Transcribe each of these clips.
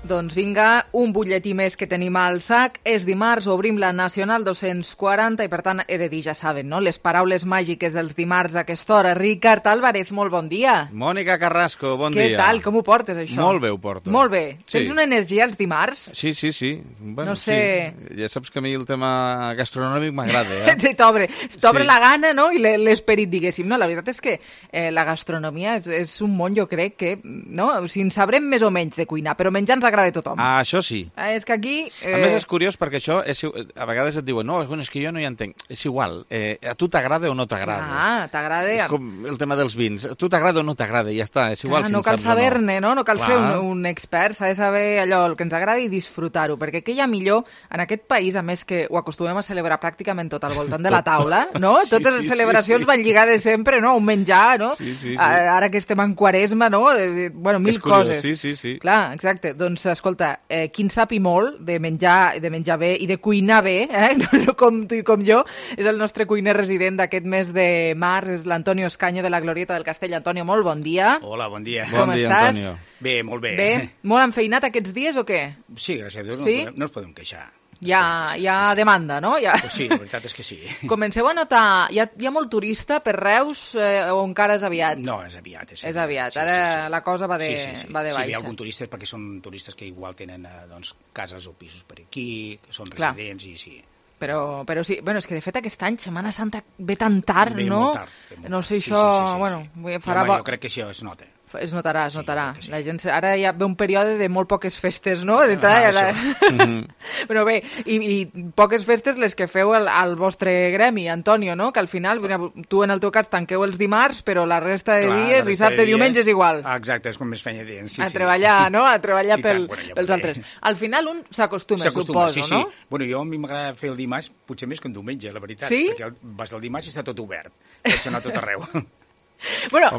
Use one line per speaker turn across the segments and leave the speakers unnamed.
Doncs vinga, un butlletí més que tenim al sac. És dimarts, obrim la Nacional 240 i per tant he de dir, ja saben, no? Les paraules màgiques dels dimarts a aquesta hora. Ricard Álvarez, molt bon dia.
Mònica Carrasco, bon dia.
Què tal? Com ho portes, això?
Molt bé ho porto.
Molt bé.
Sí.
Tens una energia els dimarts?
Sí. Bueno,
no sé...
Sí. Ja saps que a mi el tema gastronòmic m'agrada,
T'obre la gana, no? I l'esperit, diguéssim. No, la veritat és que la gastronomia és un món, jo crec que, no? O sigui, en sabrem més o menys de cuinar, però menjar ens agrada de tothom.
Ah, això sí.
És que aquí...
A més, és curiós perquè això, a vegades et diuen, no, és que jo no hi entenc. És igual, a tu t'agrada o no t'agrada.
Ah, t'agrada...
És com el tema dels vins. A tu t'agrada o no t'agrada, ja està, és igual si
no
en
cal
saps o no.
saber-ne, no? No cal ser un expert, s'ha de saber allò, el que ens agrada i disfrutar-ho, perquè què hi ha millor en aquest país, a més que ho acostumem a celebrar pràcticament tot al voltant de la taula, no? Totes les celebracions van lligades sempre, no? A un menjar, no?
Sí.
Ara que estem en Quaresma, no? Bueno, mil coses.
Sí.
Clar, exacte. Doncs, escolta, qui en sap i molt de menjar bé i de cuinar bé, no com tu i com jo, és el nostre cuiner resident d'aquest mes de març, és l'Antonio Escaño de la Glorieta del Castell. Antonio, molt bon dia.
Hola, bon dia.
Com estàs?
Antonio.
Bé, molt bé.
Bé? Molt enfeinat aquests dies o què?
Sí, gràcies a Déu,
Sí?
no ens podem queixar.
Hi ha demanda, no?
Pues sí, la veritat és que sí.
Comenceu a notar... Hi ha molt turista per Reus o encara és aviat?
No, és aviat.
És aviat. Ara la cosa va de baixa.
Si hi ha algun turista és perquè són turistes que igual tenen cases o pisos per aquí, que són residents i sí.
Però sí, bueno, és que de fet aquest any Setmana Santa ve tan tard,
ve
no?
Molt tard.
No sé,
sí,
això... Bueno, farà...
Jo crec que això es nota.
Es notarà.
Sí.
La gent, ara ja ve un període de molt poques festes, no? Però bé, i poques festes les que feu al vostre gremi, Antonio, no? Que al final, tu en el teu cas tanqueu els dimarts, però la resta de dies, dissabte, diumenge, és igual.
Exacte, és com més feina dient. Sí,
treballar, no? A treballar
pels
altres. Al final un s'acostuma, suposo,
sí.
No?
Bueno, jo a mi m'agrada fer el dimarts, potser més que un diumenge, la veritat.
Sí?
Perquè vas al dimarts i està tot obert. Pots anar tot arreu.
Bueno,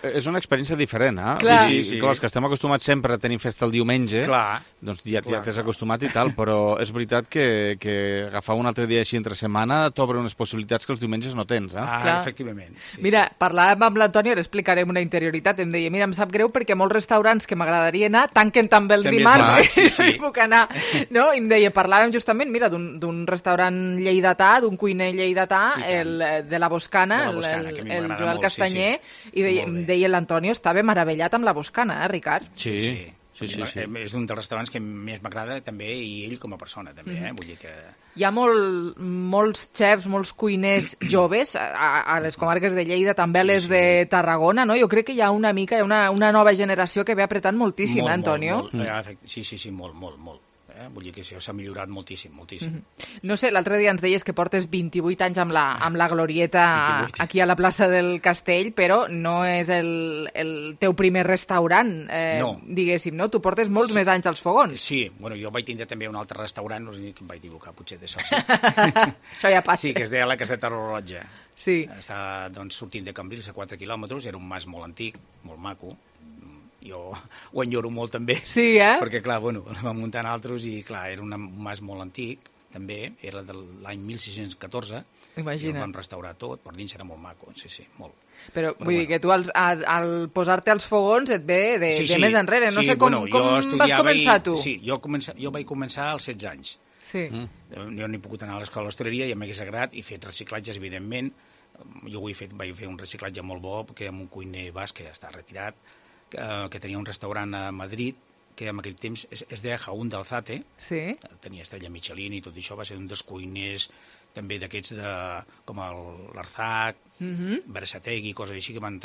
és una experiència diferent, eh?
Clar.
Sí. Clar, els que estem acostumats sempre a tenir festa el diumenge, doncs ja t'has acostumat i tal, però és veritat que agafar un altre dia així entre setmana t'obre unes possibilitats que els diumenges no tens, eh?
Efectivament.
Mira, parlàvem amb l'Antoni, ara explicarem una interioritat, em deia, mira, em sap greu perquè molts restaurants que m'agradaria anar tanquen també el dimarts, no hi puc anar, no? I em deia, parlàvem justament, mira, d'un restaurant lleidatà, d'un cuiner lleidatà, de la Boscana, el Joel Castanyer, i deia l'Antonio, estava meravellat amb la Boscana, Ricard?
Sí.
És un dels restaurants que més m'agrada també, i ell com a persona també, vull dir que...
Hi ha molts xefs, molts cuiners joves a les comarques de Lleida, també a les de Tarragona, no? Jo crec que hi ha una nova generació que ve apretant moltíssim, Antonio?
Sí, molt. Vull dir que això s'ha millorat moltíssim.
No sé, l'altre dia ens deies que portes 28 anys amb la Glorieta aquí a la plaça del Castell, però no és el teu primer restaurant, diguéssim, no? Tu portes molts més anys als fogons.
Sí, bueno, jo vaig tindre també un altre restaurant, no sé que em vaig equivocar, potser d'això sí.
Això ja passa.
Sí, que es deia la Caseta Roja.
Sí.
Està sortint de Cambrils a 4 quilòmetres, era un mas molt antic, molt maco. Jo ho enyoro molt també, perquè clar, bueno, el vam muntar en altres i clar, era un mas molt antic, també, era de l'any 1614, i el vam restaurar tot, per dins era molt maco, sí, molt.
Però vull dir que tu al posar-te als fogons et ve de més enrere, no sé com vas començar tu?
Sí, jo vaig començar als 16 anys.
Sí.
Jo no he pogut anar a l'escola d'hostaleria, ja m'hagués agradat, i fet reciclatges, evidentment. Jo vaig fer un reciclatge molt bo, perquè amb un cuiner basc que ja està retirat, que tenia un restaurant a Madrid, que en aquell temps es deia Jaún d'Alzate, tenia estrella Michelin i tot això, va ser un dels cuiners també d'aquests com l'Arzac, Berasategui, coses així que van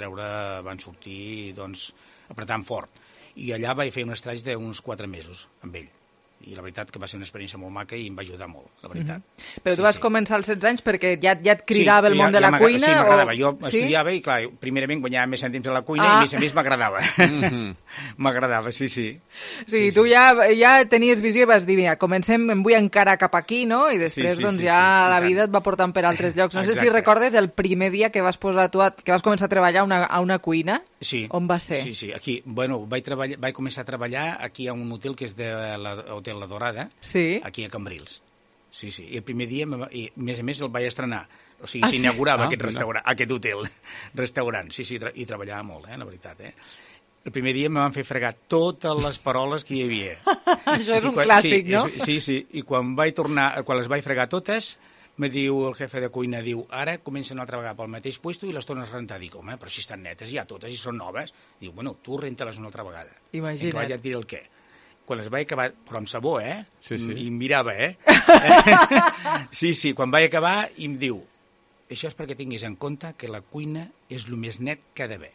sortir apretant fort. I allà vaig fer un estraig d'uns 4 mesos amb ell. I la veritat que va ser una experiència molt maca i em va ajudar molt, la veritat.
Però tu vas començar als 16 anys perquè ja et cridava el món de la cuina?
Sí, m'agradava. Jo estudiava i, clar, primerament guanyava més cèntims a la cuina i, a més, m'agradava. M'agradava, sí.
Sí, tu ja tenies visió i vas dir, mira, comencem, em vull encarar cap aquí, no? I després, la vida et va portant per altres llocs. No sé si recordes el primer dia que vas començar a treballar a una cuina.
Sí.
On va ser?
Sí, aquí. Bueno, vaig començar a treballar aquí a un hotel que és de l'Hotel La Dorada, aquí a Cambrils. Sí. I el primer dia, a més el vaig estrenar. O sigui, s'inaugurava aquest hotel, restaurant. Sí, i treballava molt, la veritat, El primer dia me van fer fregar totes les paroles que hi havia.
Això és un clàssic, no?
Sí. I quan les vaig fregar totes, me diu el jefe de cuina, diu, ara comencen una altra vegada pel mateix puesto i les tornes a rentar. Dic, home, però si estan netes ja totes i són noves. Diu, bueno, tu renta-les una altra vegada.
Imagina't.
I ja et diré el què. Quan les vaig acabar, però amb sabó,
Sí.
I em mirava, Sí, quan vaig acabar, i em diu, això és perquè tinguis en compte que la cuina és el més net que ha d'haver.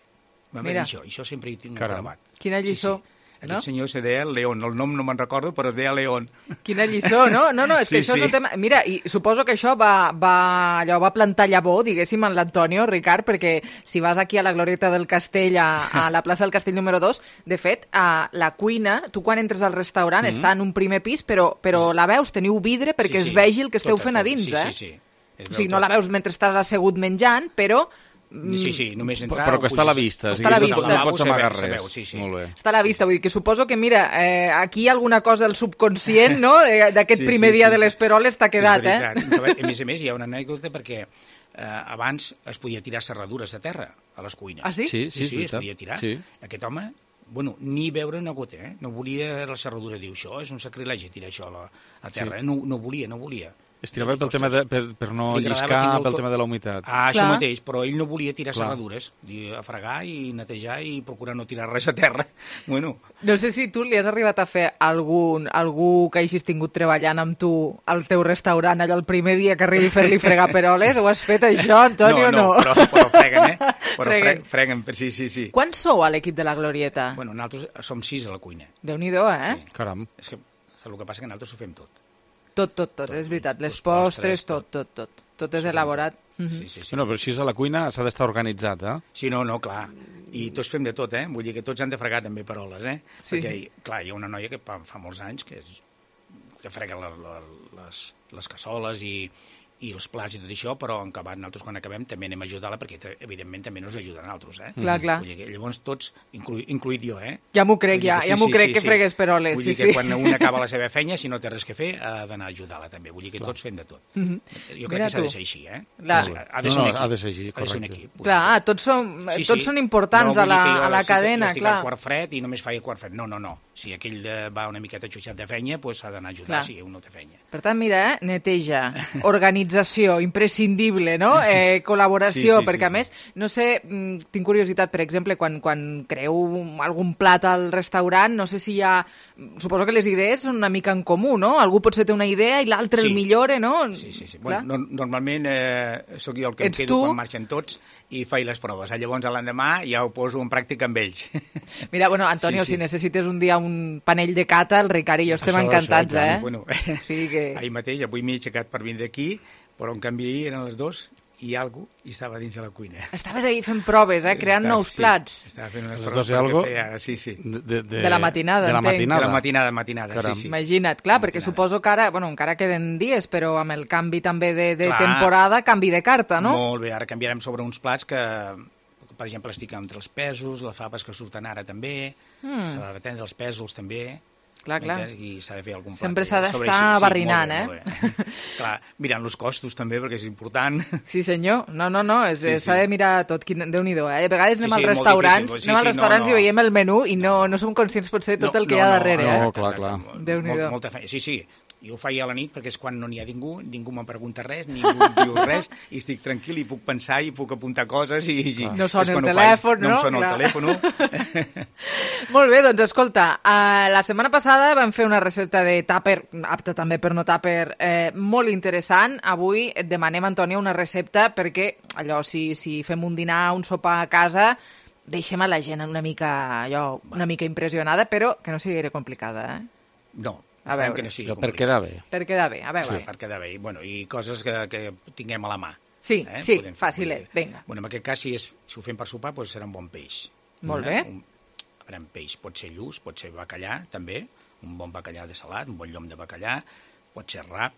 Va dir això sempre hi tinc gravat.
Quina lliçó.
Sí. Aquest senyor se deia León, el nom no me'n recordo, però es deia León.
Quina lliçó, no? No, és que això és un tema... Mira, i suposo que això va plantar llavor, diguéssim, en l'Antonio, Ricard, perquè si vas aquí a la Glorieta del Castell, a la plaça del Castell número 2, de fet, a la cuina, tu quan entres al restaurant està en un primer pis, però la veus, teniu vidre perquè es vegi el que esteu fent a dins,
Sí.
O sigui, no la veus mentre estàs assegut menjant, però...
Sí, només entrar...
Però que està a la vista.
Està a la vista.
No pots amagar res.
Sí.
Molt bé.
Està a la vista, vull dir que suposo que, mira, aquí alguna cosa del subconscient, no?, d'aquest primer dia de les peroles t'ha quedat,
A més, hi ha una anècdota perquè abans es podia tirar serradures a terra, a les cuines.
Ah, sí?
Sí,
es podia tirar. Sí. Aquest home, ni veure una gota, No volia la serradura. Diu, això és un sacrilegi, tirar això a terra. No volia.
Es tirava pel tema per no lliscar, pel tema de la humitat.
Això mateix, però ell no volia tirar serradures, a fregar i netejar i procurar no tirar res a terra. Bueno.
No sé si tu li has arribat a fer algú que hagis tingut treballant amb tu al teu restaurant, allò el primer dia que arribi a fer-li fregar peroles, ho has fet això, Antonio, o no?
No, però freguen, Freguen, sí.
Quants sou a l'equip de la Glorieta?
Bueno, nosaltres som 6 a la cuina.
Déu-n'hi-do,
Sí. Caram.
És que el que passa que nosaltres ho fem tot.
Tot, és veritat. Les postres, tot. Tot és elaborat.
Sí.
No, però si és a la cuina s'ha d'estar organitzat,
Sí, no, clar. I tots fem de tot, Vull dir que tots han de fregar també peroles,
Sí.
Perquè, clar, hi ha una noia que fa molts anys que frega les cassoles i els plats i tot això, però en acabat nosaltres quan acabem també anem a ajudar-la perquè evidentment també nos ajuda a nosaltres,
Clar.
Vull dir que llavors tots, incluït jo,
Ja m'ho crec, que fregues peroles.
Vull dir que quan un acaba la seva feina, si no té res que fer, ha d'anar a ajudar-la també. Vull dir que tots fem de tot. Jo crec que s'ha de ser així,
Ha de ser així, correcte.
Clar, tots són importants a la cadena,
clar. No, al quart fred i només faig el quart fred. No. Si aquell va una miqueta xuixat de feina, s'ha d'anar a ajudar si un no té feina.
Per tant, mira, neteja, organització, imprescindible, no? Col·laboració, perquè a més, no sé, tinc curiositat, per exemple, quan creeu algun plat al restaurant, no sé si hi ha... Suposo que les idees són una mica en comú, no? Algú potser té una idea i l'altre el millora, no?
Sí. Bueno, normalment sóc jo el que em quedo quan marxen tots i faig les proves. Llavors, l'endemà ja ho poso en pràctica amb ells.
Mira, bueno, Antonio, si necessites un dia un panell de cata, el Ricard i jo estem encantats,
Ahir mateix, avui m'he aixecat per vindre aquí, però en canvi ahir eren les 2 i algú estava dins de la cuina.
Estaves ahí fent proves, creant nous plats.
Estava fent unes proves perquè feia ara,
De la matinada, entenc.
De la matinada, sí.
Imagina't, clar, perquè suposo que ara, encara queden dies, però amb el canvi també de temporada, canvi de carta, no?
Molt bé, ara canviarem sobre uns plats que, per exemple, estic entre els pèsols, les faves que surten ara també, s'ha de prendre els pèsols també...
Clar.
I s'ha de fer algun plat.
Sempre s'ha d'estar barrinant,
Clar, mirant els costos també, perquè és important.
Sí, senyor. No, s'ha de mirar tot. Déu-n'hi-do, A vegades anem als restaurants i veiem el menú i no som conscients potser de tot el que hi ha darrere,
No, clar.
Déu-n'hi-do.
Molta feina. Sí. Jo ho faig a la nit perquè és quan no n'hi ha ningú me'n pregunta res, ningú em diu res, i estic tranquil i puc pensar i puc apuntar coses i...
No sona el telèfon, no?
No em sona el telèfon.
Molt bé, doncs escolta, la setmana passada vam fer una recepta de tàper, apta també per no tàper, molt interessant. Avui et demanem, Antonio, una recepta perquè, allò, si fem un dinar, un sopar a casa, deixem a la gent una mica impressionada, però que no sigui gaire complicada,
No.
A veure,
que no per quedar bé.
Per quedar bé, a veure.
Per quedar bé. I coses que tinguem a la mà.
Sí, fàcilet, vinga.
En aquest cas, si ho fem per sopar, serà un bon peix.
Molt bé.
A veure, peix pot ser lluç, pot ser bacallà, també, un bon bacallà de salat, un bon llom de bacallà, pot ser rap,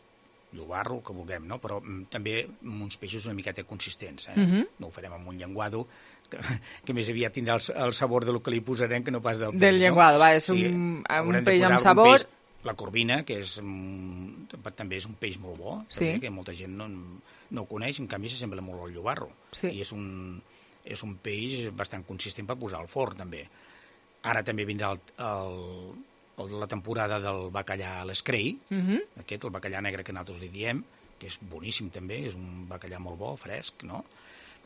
llobarro, el que vulguem, no? Però també uns peixos una miqueta consistents, No ho farem amb un llenguado, que més aviat tindrà el sabor del que li posarem que no pas del peix.
Del llenguado, és un peix amb sabor...
La corvina, que també és un peix molt bo, també, que molta gent no ho coneix, en canvi s'assembla molt al llobarro. I és un peix bastant consistent per posar al forn, també. Ara també vindrà la temporada del bacallà a l'escrei, aquest, el bacallà negre que nosaltres li diem, que és boníssim també, és un bacallà molt bo, fresc, no?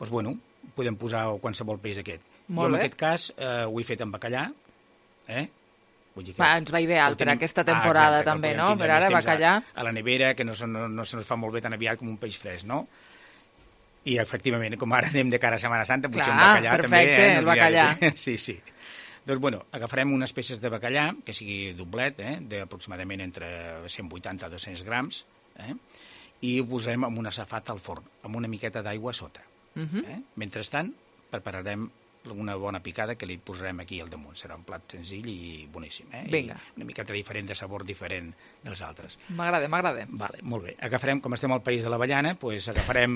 Doncs, bueno, podem posar qualsevol peix d'aquest. Jo, en aquest cas, ho he fet amb bacallà, Vull dir que
ens va ideal per aquesta temporada també, no? Per ara, bacallà...
A la nevera, que no se nos fa molt bé tan aviat com un peix fresc, no? I, efectivament, com ara anem de cara a Setmana Santa, potser un bacallà
també... Clar, perfecte, el bacallà.
Sí, sí. Doncs, bueno, agafarem unes peces de bacallà, que sigui doblet, d'aproximadament entre 180 a 200 grams, i ho posarem en una safata al forn, amb una miqueta d'aigua a sota. Mentrestant, prepararem una bona picada que li posarem aquí al damunt. Serà un plat senzill i boníssim.
Vinga.
I una miqueta diferent, de sabor diferent dels altres.
M'agrada.
Vale, molt bé. Agafarem, com estem al país de l'avellana, doncs agafarem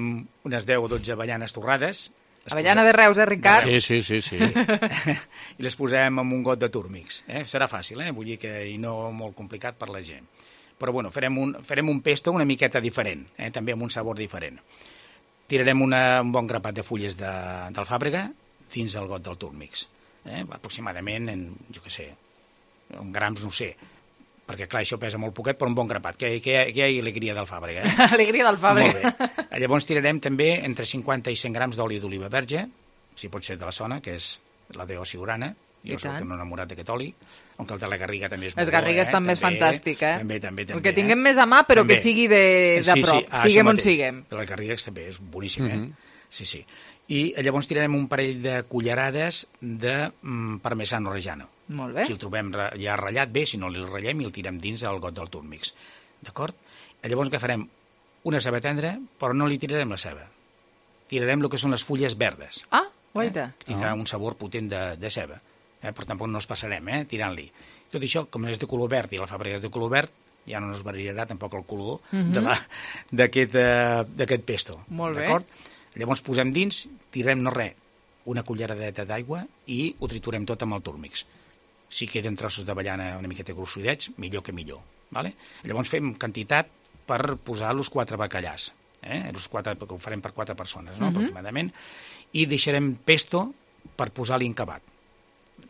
unes 10 o 12 avellanes torrades.
Avellana de Reus, Ricard?
Sí.
I les posem amb un got de túrmics. Serà fàcil, vull dir que i no molt complicat per la gent. Però, bueno, farem un pesto una miqueta diferent, també amb un sabor diferent. Tirarem un bon grapat de fulles d'alfàbrega dins el got del túrmix. Aproximadament, jo què sé, en grams, no sé, perquè, clar, això pesa molt poquet, però un bon grapat. Que hi ha alegria d'alfàbrega.
Alegria d'alfàbrega.
Molt bé. Llavors tirarem també entre 50 i 100 grams d'oli d'oliva verge, si pot ser de la zona, que és la de Siurana. Jo soc un enamorat d'aquest oli, on el de la Garriga també és molt bo.
Les Garrigues també és fantàstic,
També.
El que tinguem més a mà, però que sigui de prop, siguem on siguem.
De les Garrigues també és boníssim, Sí. I llavors tirarem un parell de cullerades de parmesano reggiano.
Molt bé.
Si el trobem ja ratllat, bé, si no el ratllem i el tirem dins el got del túrmix. D'acord? Llavors agafarem una ceba tendra, però no li tirarem la ceba. Tirarem el que són les fulles verdes.
Ah, guaita.
Que tindrà un sabor potent de ceba. Però tampoc no es passarem, tirant-li. Tot això, com és de color verd i l'alfàbrega és de color verd, ja no ens variarà tampoc el color d'aquest pesto.
Molt bé.
D'acord? Llavors posem dins, tirem una culleradeta d'aigua i ho triturem tot amb el túrmix. Si queden trossos d'avellana una miqueta grossidets, millor que millor. Vale? Llavors fem quantitat per posar els 4 bacallars. Els 4, perquè ho farem per 4 persones, no? Aproximadament. I deixarem pesto per posar-li encabat.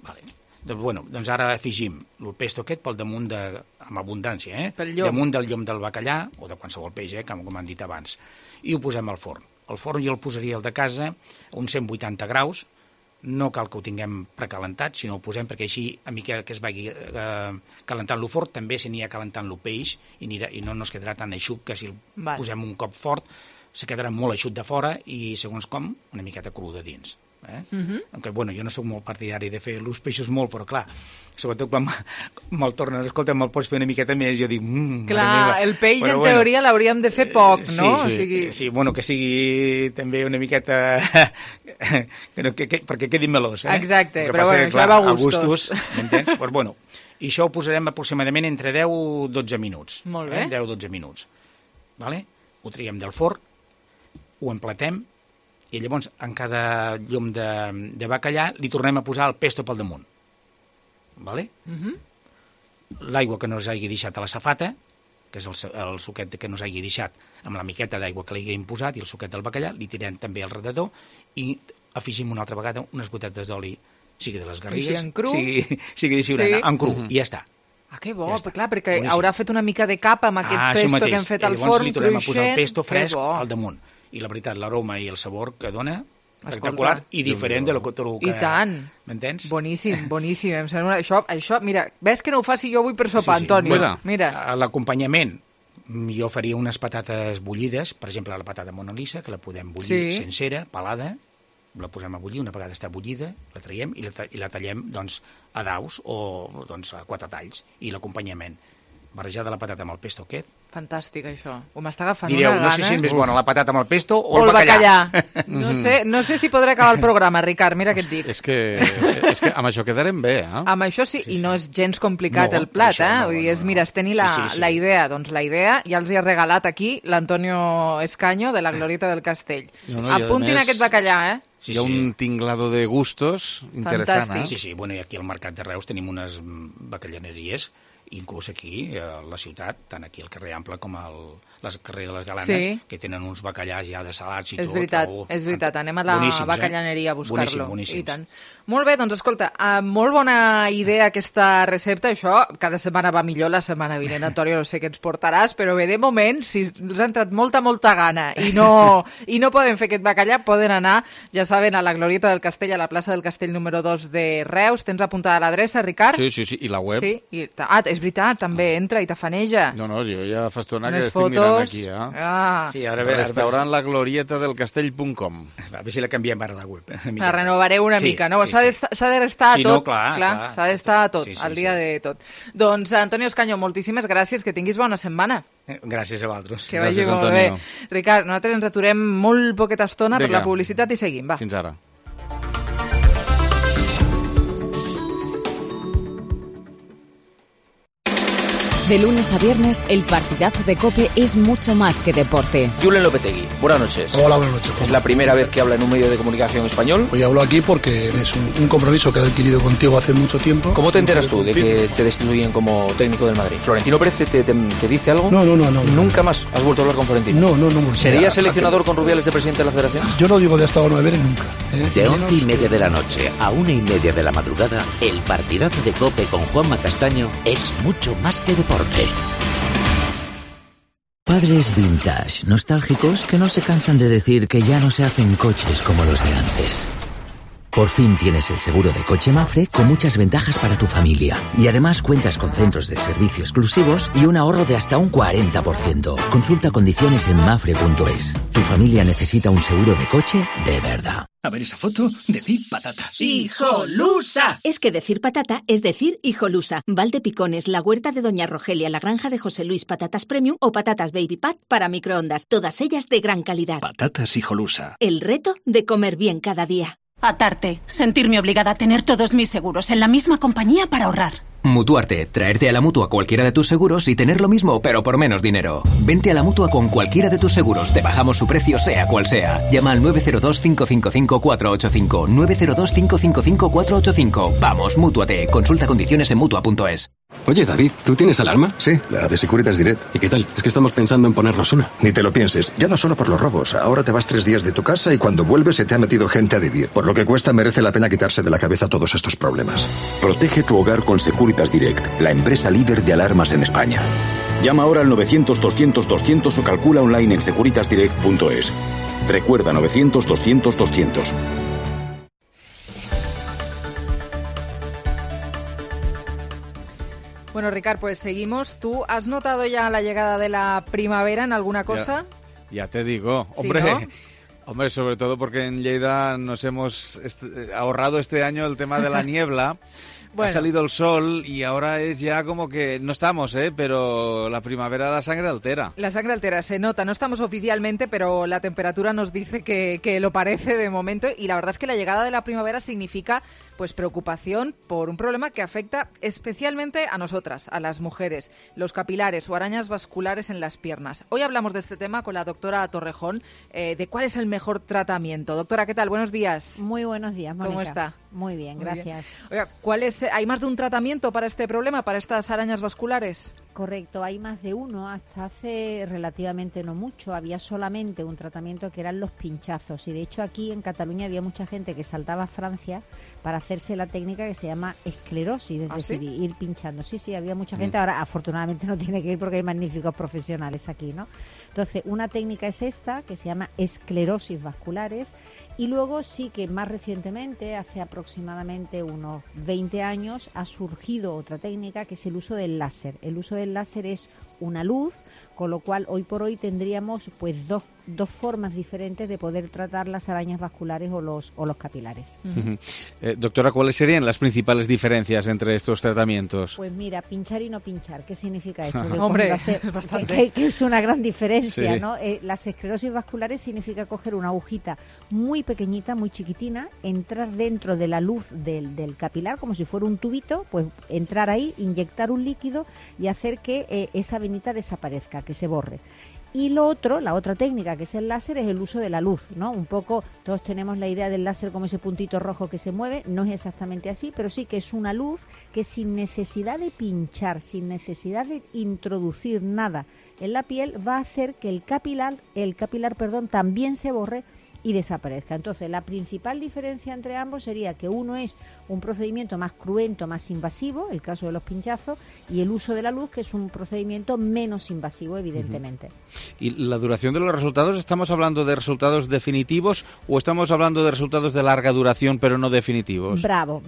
Vale. Doncs ara afegim el pesto aquest pel damunt amb abundància, damunt del llom del bacallà, o de qualsevol peix, com han dit abans, i ho posem al forn. El forn jo el posaria al de casa a uns 180 graus, no cal que ho tinguem precalentat, sinó ho posem perquè així, a mica que es vagi calentant lo fort, també s'anirà calentant lo peix i no es quedarà tan eixut que si el posem un cop fort se quedarà molt eixut de fora i, segons com, una miqueta cru de dins. Aunque, jo no soc molt partidari de fer els peixos molt, però clar, sobretot quan me'l tornen, escolta, me'l pots fer una miqueta més, jo dic...
Clar, el peix en teoria l'hauríem de fer poc, no?
Sí, que sigui també una miqueta... perquè quedi melós,
Exacte, però això va a gustos.
M'entens? Doncs i això ho posarem aproximadament entre 10 o 12 minuts.
Molt bé.
10 o 12 minuts. Ho traiem del forn, ho emplatem, i llavors en cada llom de bacallà li tornem a posar el pesto pel damunt. L'aigua que no us hagi deixat a la safata, que és el suquet que no us hagi deixat amb la miqueta d'aigua que li haguem posat i el suquet del bacallà, li tirem també al redador i afegim una altra vegada unes gotetes d'oli, sigui de les Garrigues, sigui de Siurana, en cru, i ja està.
Ah, que bo, clar, perquè haurà fet una mica de capa amb aquest pesto que hem fet al forn,
llavors li tornem a posar el pesto fresc al damunt. I la veritat, l'aroma i el sabor que dona, espectacular i diferent de lo que...
I tant.
M'entens?
Boníssim. Em sembla això, mira, ves que no ho faci jo avui per sopar, Antonio? Mira.
A l'acompanyament, jo faria unes patates bullides, per exemple, la patata Mona Lisa, que la podem bullir sencera, pelada, la posem a bullir, una vegada està bullida, la traiem i la tallem a daus o a 4 talls. I l'acompanyament, barrejada la patata amb el pesto aquest.
Fantàstic, això. Ho m'està agafant
una gana. No sé si és més bona la patata amb el pesto o el bacallà.
No sé si podré acabar el programa, Ricard, mira què et dic.
És que amb això quedarem bé,
Amb això sí, i no és gens complicat el plat, Vull dir, és tenir la idea. Doncs la idea ja els hi ha regalat aquí l'Antonio Escaño de la Glorieta del Castell. Apuntin aquest bacallà,
Hi ha un tinglado de gustos interessant.
Fantàstic.
Sí, i aquí al Mercat de Reus tenim unes bacallaneries inclús aquí, a la ciutat, tant aquí al carrer Ample com al carrer de les Galanes, que tenen uns bacallars ja dessalats i tot.
És veritat, anem a la bacallaneria a buscar-lo.
Boníssims.
I tant. Molt bé, doncs escolta, molt bona idea aquesta recepta, això cada setmana va millor, la setmana vinent, Antonio, no sé què ens portaràs, però bé, de moment, si els ha entrat molta gana i no poden fer aquest bacallà, poden anar, ja saben, a la Glorieta del Castell, a la plaça del Castell número 2 de Reus. Tens apuntada l'adreça, Ricard?
Sí, i la web.
Sí, és veritat, també entra i tafaneja.
No, jo ja fa estona que estic mirant aquí,
Sí, ara
restaurant la glorieta del castell.com.
A veure si la canviem ara a la web.
La renovareu una mica, no? S'ha d'estar a tot.
No, clar,
s'ha d'estar a tot, al dia de tot. Doncs, Antonio Escaño, moltíssimes gràcies, que tinguis bona setmana.
Gràcies a vosaltres.
Que vagi molt bé. Ricard, nosaltres ens aturem molt poqueta estona per la publicitat i seguim, va.
Fins ara.
De lunes a viernes, el partidazo de COPE es mucho más que deporte.
Julen Lopetegui, buenas noches.
Hola, buenas noches.
Es la primera vez que habla en un medio de comunicación español.
Hoy hablo aquí porque es un compromiso que he adquirido contigo hace mucho tiempo.
¿Cómo te enteras tú de que te destituyen como técnico del Madrid? ¿Florentino Pérez te dice algo?
No.
¿Nunca más has vuelto a hablar con Florentino?
No.
¿Serías seleccionador con Rubiales de presidente de la Federación?
Yo no digo de hasta ahora no beber nunca.
De 11:30 de la noche a 1:30 de la madrugada, el partidazo de COPE con Juanma Castaño es mucho más que deporte. Padres vintage, nostálgicos, que no se cansan de decir que ya no se hacen coches como los de antes. Por fin tienes el seguro de coche Mapfre con muchas ventajas para tu familia. Y además cuentas con centros de servicio exclusivos y un ahorro de hasta un 40%. Consulta condiciones en mapfre.es. Tu familia necesita un seguro de coche de verdad.
A ver esa foto, decir patata.
¡Hijolusa! Es que decir patata es decir hijolusa. Valdepicones, la huerta de Doña Rogelia, la granja de José Luis, patatas premium o patatas baby pat para microondas. Todas ellas de gran calidad.
Patatas hijolusa.
El reto de comer bien cada día.
Atarte. Sentirme obligada a tener todos mis seguros en la misma compañía para ahorrar.
Mutuarte. Traerte a la Mutua cualquiera de tus seguros y tener lo mismo, pero por menos dinero. Vente a la Mutua con cualquiera de tus seguros. Te bajamos su precio, sea cual sea. Llama al 902-555-485. 902-555-485. Vamos, mútuate. Consulta condiciones en Mutua.es.
Oye, David, ¿tú tienes alarma?
Sí, la de Securitas Direct.
¿Y qué tal? Es que estamos pensando en ponernos una.
Ni te lo pienses. Ya no solo por los robos. Ahora te vas 3 días de tu casa y cuando vuelves se te ha metido gente a vivir. Por lo que cuesta, merece la pena quitarse de la cabeza todos estos problemas.
Protege tu hogar con Securitas Direct, la empresa líder de alarmas en España. Llama ahora al 900-200-200 o calcula online en securitasdirect.es. Recuerda, 900-200-200.
Bueno, Ricard, pues seguimos. ¿Tú has notado ya la llegada de la primavera en alguna cosa?
Ya te digo. Hombre, ¿sí, no? Hombre, sobre todo porque en Lleida nos hemos ahorrado este año el tema de la niebla. Bueno. Ha salido el sol y ahora es ya como que no estamos, pero la primavera la sangre altera.
La sangre altera, se nota. No estamos oficialmente, pero la temperatura nos dice que lo parece de momento. Y la verdad es que la llegada de la primavera significa pues preocupación por un problema que afecta especialmente a nosotras, a las mujeres, los capilares o arañas vasculares en las piernas. Hoy hablamos de este tema con la doctora Torrejón, de cuál es el mejor tratamiento. Doctora, ¿qué tal? Buenos días.
Muy buenos días, Mónica.
¿Cómo está?
Muy bien, gracias.
Oiga, ¿hay más de un tratamiento para este problema, para estas arañas vasculares?
Correcto, hay más de uno. Hasta hace relativamente no mucho había solamente un tratamiento que eran los pinchazos. Y de hecho aquí en Cataluña había mucha gente que saltaba a Francia para hacerse la técnica que se llama esclerosis, es decir, ¿sí? Ir pinchando. Sí, había mucha gente. Ahora afortunadamente no tiene que ir porque hay magníficos profesionales aquí, ¿no? Entonces, una técnica es esta, que se llama esclerosis vasculares. Y luego sí que más recientemente, hace aproximadamente unos 20 años, ha surgido otra técnica que es el uso del láser. El uso del láser es una luz, con lo cual hoy por hoy tendríamos pues dos formas diferentes de poder tratar las arañas vasculares o los capilares.
Doctora, ¿cuáles serían las principales diferencias entre estos tratamientos?
Pues mira, pinchar y no pinchar. ¿Qué significa esto?
Hombre, bastante.
Que es una gran diferencia,
sí.
¿no? Las esclerosis vasculares significa coger una agujita muy pequeñita, muy chiquitina, entrar dentro de la luz del capilar, como si fuera un tubito, pues entrar ahí, inyectar un líquido y hacer que esa venita desaparezca, que se borre. Y lo otro, la otra técnica que es el láser, es el uso de la luz, ¿no? Un poco, todos tenemos la idea del láser como ese puntito rojo que se mueve, no es exactamente así, pero sí que es una luz que sin necesidad de pinchar, sin necesidad de introducir nada en la piel, va a hacer que el capilar, también se borre y desaparezca. Entonces, la principal diferencia entre ambos sería que uno es un procedimiento más cruento, más invasivo, el caso de los pinchazos, y el uso de la luz, que es un procedimiento menos invasivo, evidentemente.
¿Y la duración de los resultados? ¿Estamos hablando de resultados definitivos o estamos hablando de resultados de larga duración pero no definitivos?
Bravo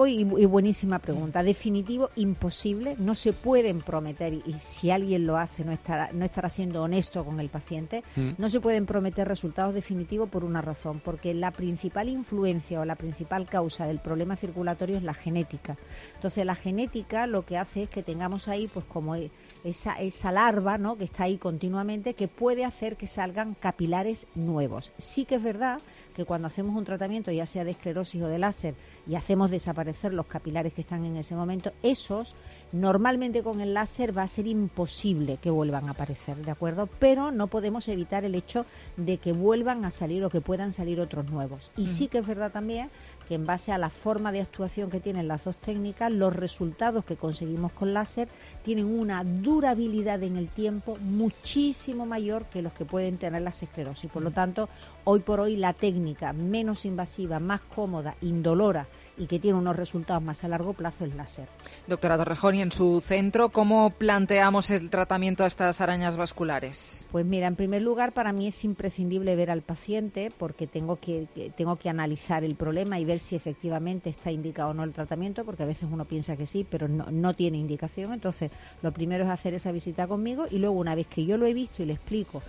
y buenísima pregunta. Definitivo, imposible, no se pueden prometer, y si alguien lo hace no estará siendo honesto con el paciente, no se pueden prometer resultados definitivos por una razón, porque la principal influencia o la principal causa del problema circulatorio es la genética. Entonces, la genética lo que hace es que tengamos ahí pues como esa larva, ¿no?, que está ahí continuamente, que puede hacer que salgan capilares nuevos. Sí que es verdad que cuando hacemos un tratamiento, ya sea de esclerosis o de láser, y hacemos desaparecer los capilares que están en ese momento, esos normalmente con el láser va a ser imposible que vuelvan a aparecer, ¿de acuerdo? Pero no podemos evitar el hecho de que vuelvan a salir o que puedan salir otros nuevos. Y sí que es verdad también que en base a la forma de actuación que tienen las dos técnicas, los resultados que conseguimos con láser tienen una durabilidad en el tiempo muchísimo mayor que los que pueden tener las esclerosis. Por lo tanto, hoy por hoy la técnica menos invasiva, más cómoda, indolora y que tiene unos resultados más a largo plazo es láser.
Doctora Torrejón, y en su centro, ¿cómo planteamos el tratamiento a estas arañas vasculares?
Pues mira, en primer lugar, para mí es imprescindible ver al paciente porque tengo que analizar el problema y ver si efectivamente está indicado o no el tratamiento, porque a veces uno piensa que sí, pero no tiene indicación. Entonces, lo primero es hacer esa visita conmigo y luego, una vez que yo lo he visto y le explico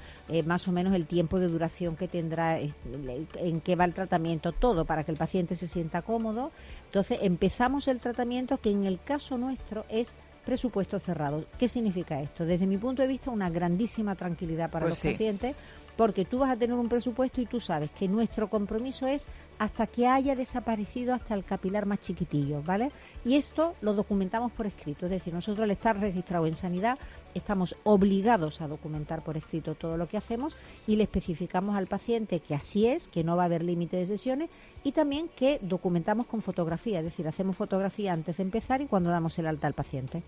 más o menos el tiempo de duración que tendrá, en qué va el tratamiento, todo para que el paciente se sienta cómodo. Entonces empezamos el tratamiento, que en el caso nuestro es presupuesto cerrado. ¿Qué significa esto? Desde mi punto de vista, una grandísima tranquilidad para los pacientes, porque tú vas a tener un presupuesto y tú sabes que nuestro compromiso es hasta que haya desaparecido hasta el capilar más chiquitillo, ¿vale? Y esto lo documentamos por escrito, es decir, nosotros al estar registrados en Sanidad estamos obligados a documentar por escrito todo lo que hacemos y le especificamos al paciente que así es, que no va a haber límite de sesiones y también que documentamos con fotografía, es decir, hacemos fotografía antes de empezar y cuando damos el alta al paciente.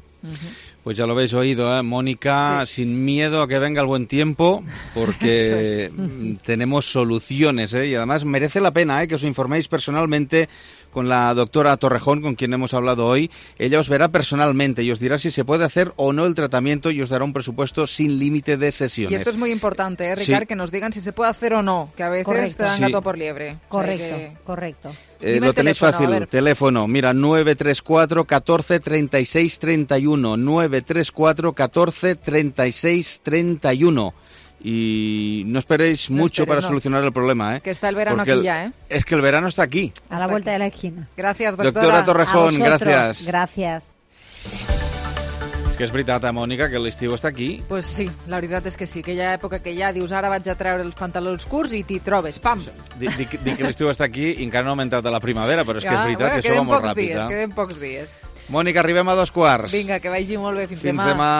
Pues ya lo habéis oído, ¿eh? Mónica, sin miedo a que venga el buen tiempo, porque tenemos soluciones, ¿eh? Y además merece la pena, que os informéis personalmente con la doctora Torrejón, con quien hemos hablado hoy. Ella os verá personalmente y os dirá si se puede hacer o no el tratamiento y os dará un presupuesto sin límite de sesiones.
Y esto es muy importante, Ricard, que nos digan si se puede hacer o no, que a veces te dan gato por liebre.
Correcto.
Lo tenéis fácil, teléfono, mira, 934 14 36 31, 934 14 36 31. Y no esperéis mucho para solucionar el problema,
que está el verano aquí ya,
Es que el verano está aquí.
A la vuelta de la esquina.
Gracias, doctora.
Doctora Torrejón, gracias.
Gràcies.
És que és veritat, Mònica, que l'estiu està aquí.
Pues sí, la veritat és que sí, aquella època que ja dius ara vaig a treure els pantalons curts i t'hi trobes, pam!
Dic que l'estiu està aquí i encara no ha augmentat a la primavera, però és que és veritat que això va molt ràpid.
Queden pocs dies.
Mònica, arribem a 2:15.
Vinga, que vagi molt bé. Fins demà.
Fins demà.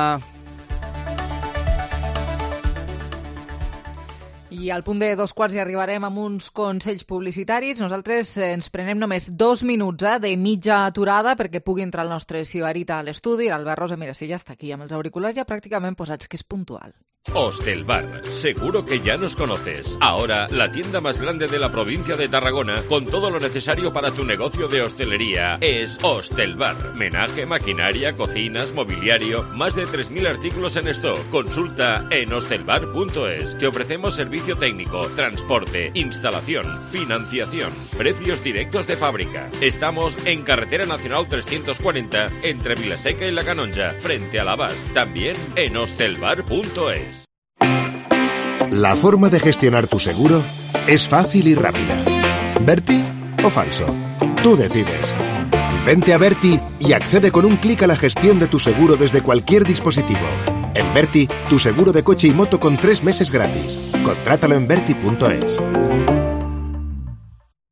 I al punt de 2:15 hi arribarem amb uns consells publicitaris. Nosaltres ens prenem només 2 minuts de mitja aturada perquè pugui entrar el nostre sibarita a l'estudi. L'Albert Rosa, mira, si ja està aquí amb els auriculars ja pràcticament posats, que és puntual.
Hostelbar, seguro que ya nos conoces. Ahora, la tienda más grande de la provincia de Tarragona, con todo lo necesario para tu negocio de hostelería, es Hostelbar. Menaje, maquinaria, cocinas, mobiliario, más de 3.000 artículos en stock. Consulta en hostelbar.es. Te ofrecemos servicio técnico, transporte, instalación, financiación, precios directos de fábrica. Estamos en Carretera Nacional 340, entre Vilaseca y La Canonja, frente a Lavast. También en hostelbar.es.
La forma de gestionar tu seguro es fácil y rápida. ¿Berti o falso? Tú decides. Vente a Berti y accede con un clic a la gestión de tu seguro desde cualquier dispositivo. En Berti, tu seguro de coche y moto con 3 meses gratis. Contrátalo en Berti.es.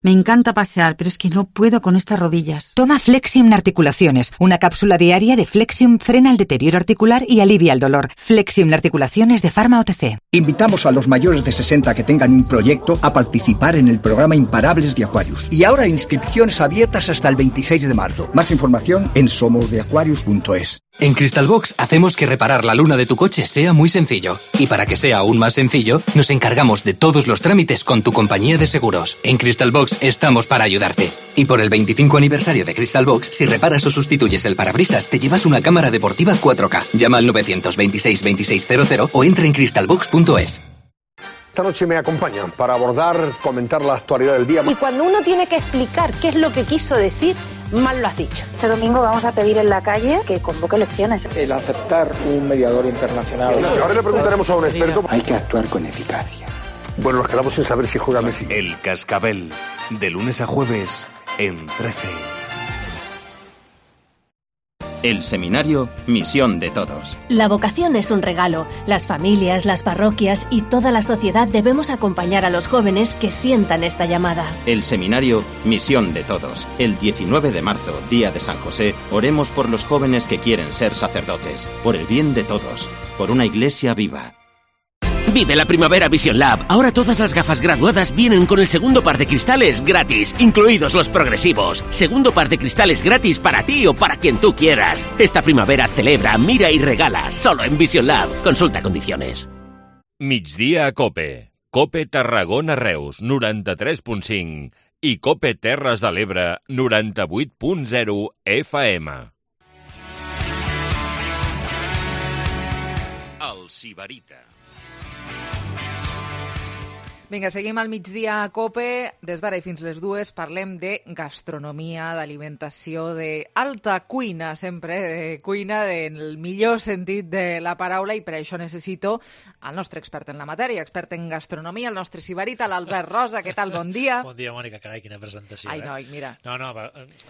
Me encanta pasear, pero es que no puedo con estas rodillas.
Toma Flexium Articulaciones. Una cápsula diaria de Flexium frena el deterioro articular y alivia el dolor. Flexium Articulaciones de Pharma OTC.
Invitamos a los mayores de 60 que tengan un proyecto a participar en el programa Imparables de Aquarius. Y ahora inscripciones abiertas hasta el 26 de marzo. Más información en somosdeaquarius.es.
En Crystalbox hacemos que reparar la luna de tu coche sea muy sencillo. Y para que sea aún más sencillo, nos encargamos de todos los trámites con tu compañía de seguros. En Crystalbox estamos para ayudarte. Y por el 25 aniversario de Crystalbox, si reparas o sustituyes el parabrisas, te llevas una cámara deportiva 4K. Llama al 926 2600 o entra en crystalbox.es.
Esta noche me acompañan para comentar la actualidad del día.
Y cuando uno tiene que explicar qué es lo que quiso decir, mal lo has dicho.
Este domingo vamos a pedir en la calle que convoque elecciones.
El aceptar un mediador internacional.
Ahora le preguntaremos a un experto.
Hay que actuar con eficacia.
Bueno, nos quedamos sin saber si juega Messi.
El Cascabel, de lunes a jueves en 13.
El seminario Misión de Todos.
La vocación es un regalo. Las familias, las parroquias y toda la sociedad debemos acompañar a los jóvenes que sientan esta llamada.
El seminario Misión de Todos. El 19 de marzo, día de San José, oremos por los jóvenes que quieren ser sacerdotes, por el bien de todos, por una iglesia viva.
Vive la primavera Vision Lab. Ahora todas las gafas graduadas vienen con el segundo par de cristales gratis, incluidos los progresivos. Segundo par de cristales gratis para ti o para quien tú quieras. Esta primavera celebra, mira y regala, solo en Vision Lab. Consulta condiciones.
Migdia a Cope. Cope Tarragona Reus, 93.5. I Cope Terres de l'Ebre, 98.0 FM.
El Sibarita.
Vinga, seguim al migdia a COPE. Des d'ara i fins les 2 parlem de gastronomia, d'alimentació, d'alta cuina, sempre, de cuina del millor sentit de la paraula, i per això necessito el nostre expert en la matèria, expert en gastronomia, el nostre sibarita, l'Albert Rosa. Què tal? Bon dia.
Bon dia, Mònica. Carai, quina presentació.
Ai, noi, mira.
No,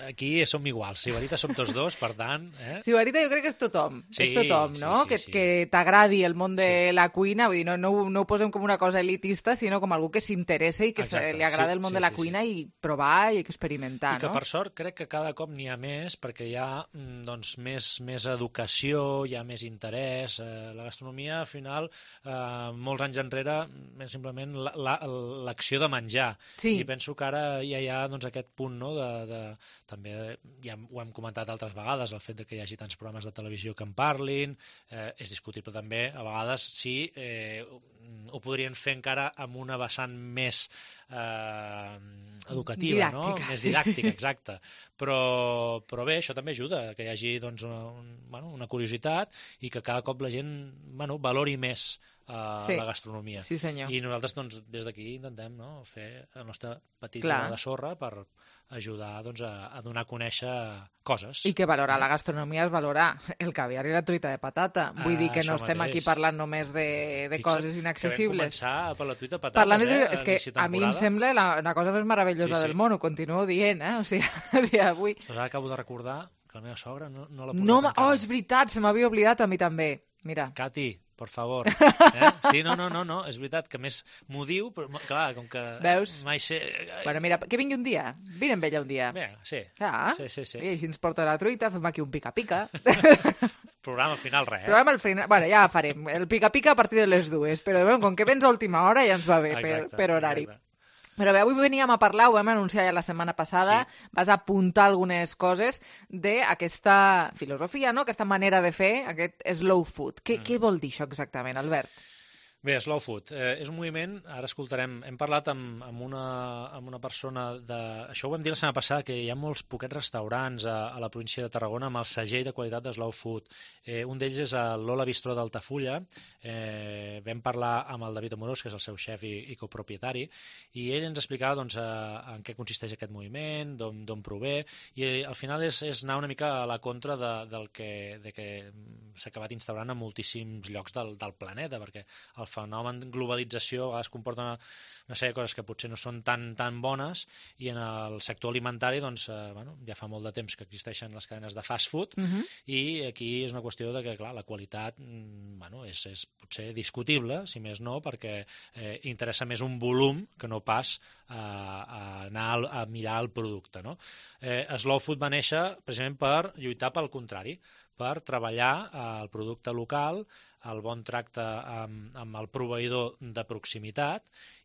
aquí som iguals. Sibarita som tots dos, per tant...
Sibarita jo crec que és tothom.
Sí,
és tothom, no?
Sí.
Que t'agradi el món de la cuina, vull dir, no ho posem com una cosa elitista, sinó com algú que s'interessa i que li agrada el món de la cuina i provar i experimentar,
I que per sort crec que cada cop n'hi ha més, perquè hi ha més educació, hi ha més interès. La gastronomia, al final, molts anys enrere, és simplement l'acció de menjar. I penso que ara ja hi ha aquest punt, també ja ho hem comentat altres vegades, el fet que hi hagi tants programes de televisió que en parlin, és discutible també, a vegades, si ho podrien fer encara amb una vessant més educativa,
didàctica,
més didàctica, exacte. Però bé, això també ajuda, que hi hagi una curiositat i que cada cop la gent valori més la gastronomia.
Sí, senyor.
I nosaltres des d'aquí intentem fer el nostre petit gra de sorra per ajudar a donar a conèixer coses.
I que valorar la gastronomia és valorar el caviar i la truita de patata. Vull dir que no estem aquí parlant només de coses inaccessibles.
Que vam començar per la truita de patates,
és que a mi em sembla la cosa més meravellosa del món, ho continuo dient, O sigui, a dia d'avui...
Ostres, ara acabo de recordar que la meva sogra no l'ha portat encara.
Oh, és veritat, se m'havia oblidat a mi també. Mira.
Cati, por favor. Sí, no, és veritat que més m'ho diu, però clar, com que...
Veus?
Mai sé...
Bueno, mira, que vingui un dia. Vine amb ella un dia.
Bé, sí. Sí.
I així ens porta la truita, fem aquí un pica-pica.
Programa al final, res,
Programa al final... Bueno, ja farem. El pica-pica a partir de les 2, però com que vens a última hora ja ens va bé per horari.
Exacte.
Però bé, avui veníem a parlar, ho vam anunciar ja la setmana passada, vas apuntar algunes coses d'aquesta filosofia, aquesta manera de fer, aquest slow food. Què vol dir això exactament, Albert?
Bé, Slow Food és un moviment, ara escoltarem, hem parlat amb una persona això ho vam dir la setmana passada, que hi ha molts poquets restaurants a la província de Tarragona amb el segell de qualitat de Slow Food. Un d'ells és el Lola Bistró d'Altafulla. Vam parlar amb el David Amorós, que és el seu xef i copropietari, i ell ens explicava en què consisteix aquest moviment, d'on prové, i al final és anar una mica a la contra del que s'ha acabat instaurant a moltíssims llocs del planeta, perquè al fenomen globalització a vegades comporta una sèrie de coses que potser no són tan bones, i en el sector alimentari doncs, ja fa molt de temps que existeixen les cadenes de fast food, i aquí és una qüestió de que, clar, la qualitat és potser discutible, si més no, perquè interessa més un volum que no pas a anar a mirar el producte, no? Slow Food va néixer precisament per lluitar pel contrari, per treballar el producte local, el bon tracte amb el proveïdor de proximitat,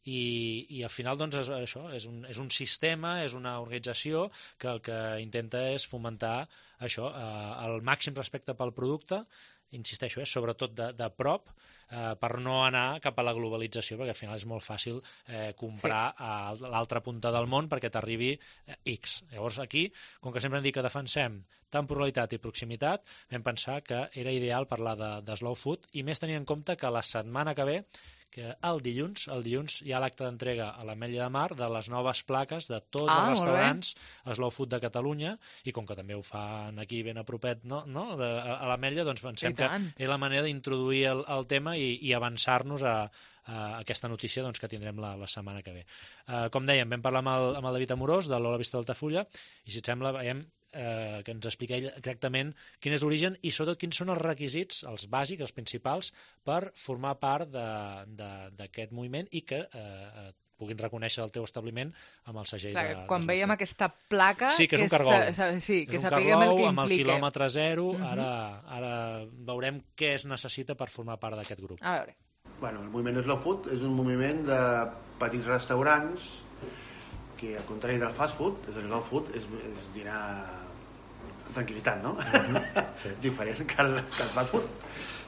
i al final doncs això és un sistema, és una organització que el que intenta és fomentar això, el màxim respecte pel producte, insisteixo, sobretot de prop, per no anar cap a la globalització, perquè al final és molt fàcil comprar a l'altra punta del món perquè t'arribi X. Llavors aquí, com que sempre hem dit que defensem temporalitat i proximitat, vam pensar que era ideal parlar de slow food, i més tenint en compte que la setmana que ve, que el dilluns hi ha l'acte d'entrega a l'Ametlla de Mar de les noves plaques de tots els restaurants Slow Food de Catalunya, i com que també ho fan aquí ben a propet, no? A l'Ametlla, doncs pensem que és la manera d'introduir el tema i avançar-nos a aquesta notícia doncs, que tindrem la setmana que ve. Com dèiem, vam parlar amb el David Amorós de l'Ola Vista d'Altafulla, i si et sembla veiem que ens explica ell exactament quin és l'origen i sobretot quins són els requisits, els bàsics, els principals, per formar part d'aquest moviment i que puguin reconèixer el teu establiment amb el segell de...
Quan veiem aquesta placa...
Sí, que és un cargol.
Sí, que sapiguem el que implica.
Amb el quilòmetre zero, ara veurem què es necessita per formar part d'aquest grup.
A veure.
Bueno, el moviment Slow Food és un moviment de petits restaurants que, al contrari del fast food, el slow food és dinar amb tranquil·litat, no? És diferent que el fast food.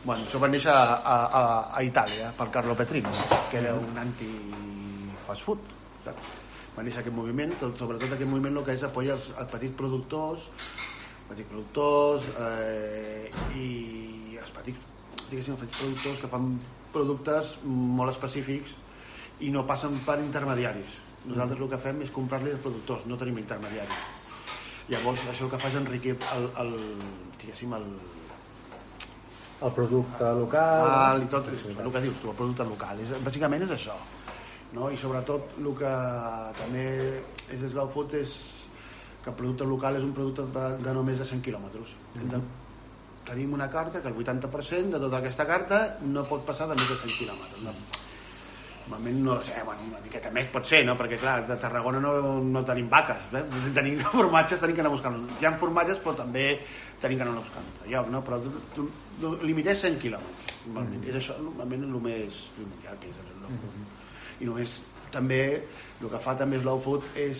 Bueno, això va néixer a Itàlia per Carlo Petrino, que era un anti-fast food. Va néixer aquest moviment, sobretot aquest moviment el que és apoya els petits productors i els petits productors que fan productes molt específics i no passen per intermediaris. Nosaltres el que fem és comprar-li els productors, no tenim intermediaris. Llavors això el que fa és enriquir el
producte local
i tot, el que dius tu, el producte local. Bàsicament és això, no? I sobretot el que també és Slow Food és que el producte local és un producte de no més de 100 quilòmetres. Tenim una carta que el 80% de tota aquesta carta no pot passar de més de 100 quilòmetres. Normalment no sé, una miqueta més pot ser, no? Perquè clar, de Tarragona no tenim vaques, tenim formatges, tenim que anar buscant. Hi ha formatges, però també tenim que anar buscant a lloc, no? Però tu limites 100 quilòmetres, normalment. És això, normalment, el més mundial que és el Slow Food. I només, també, el que fa també Slow Food és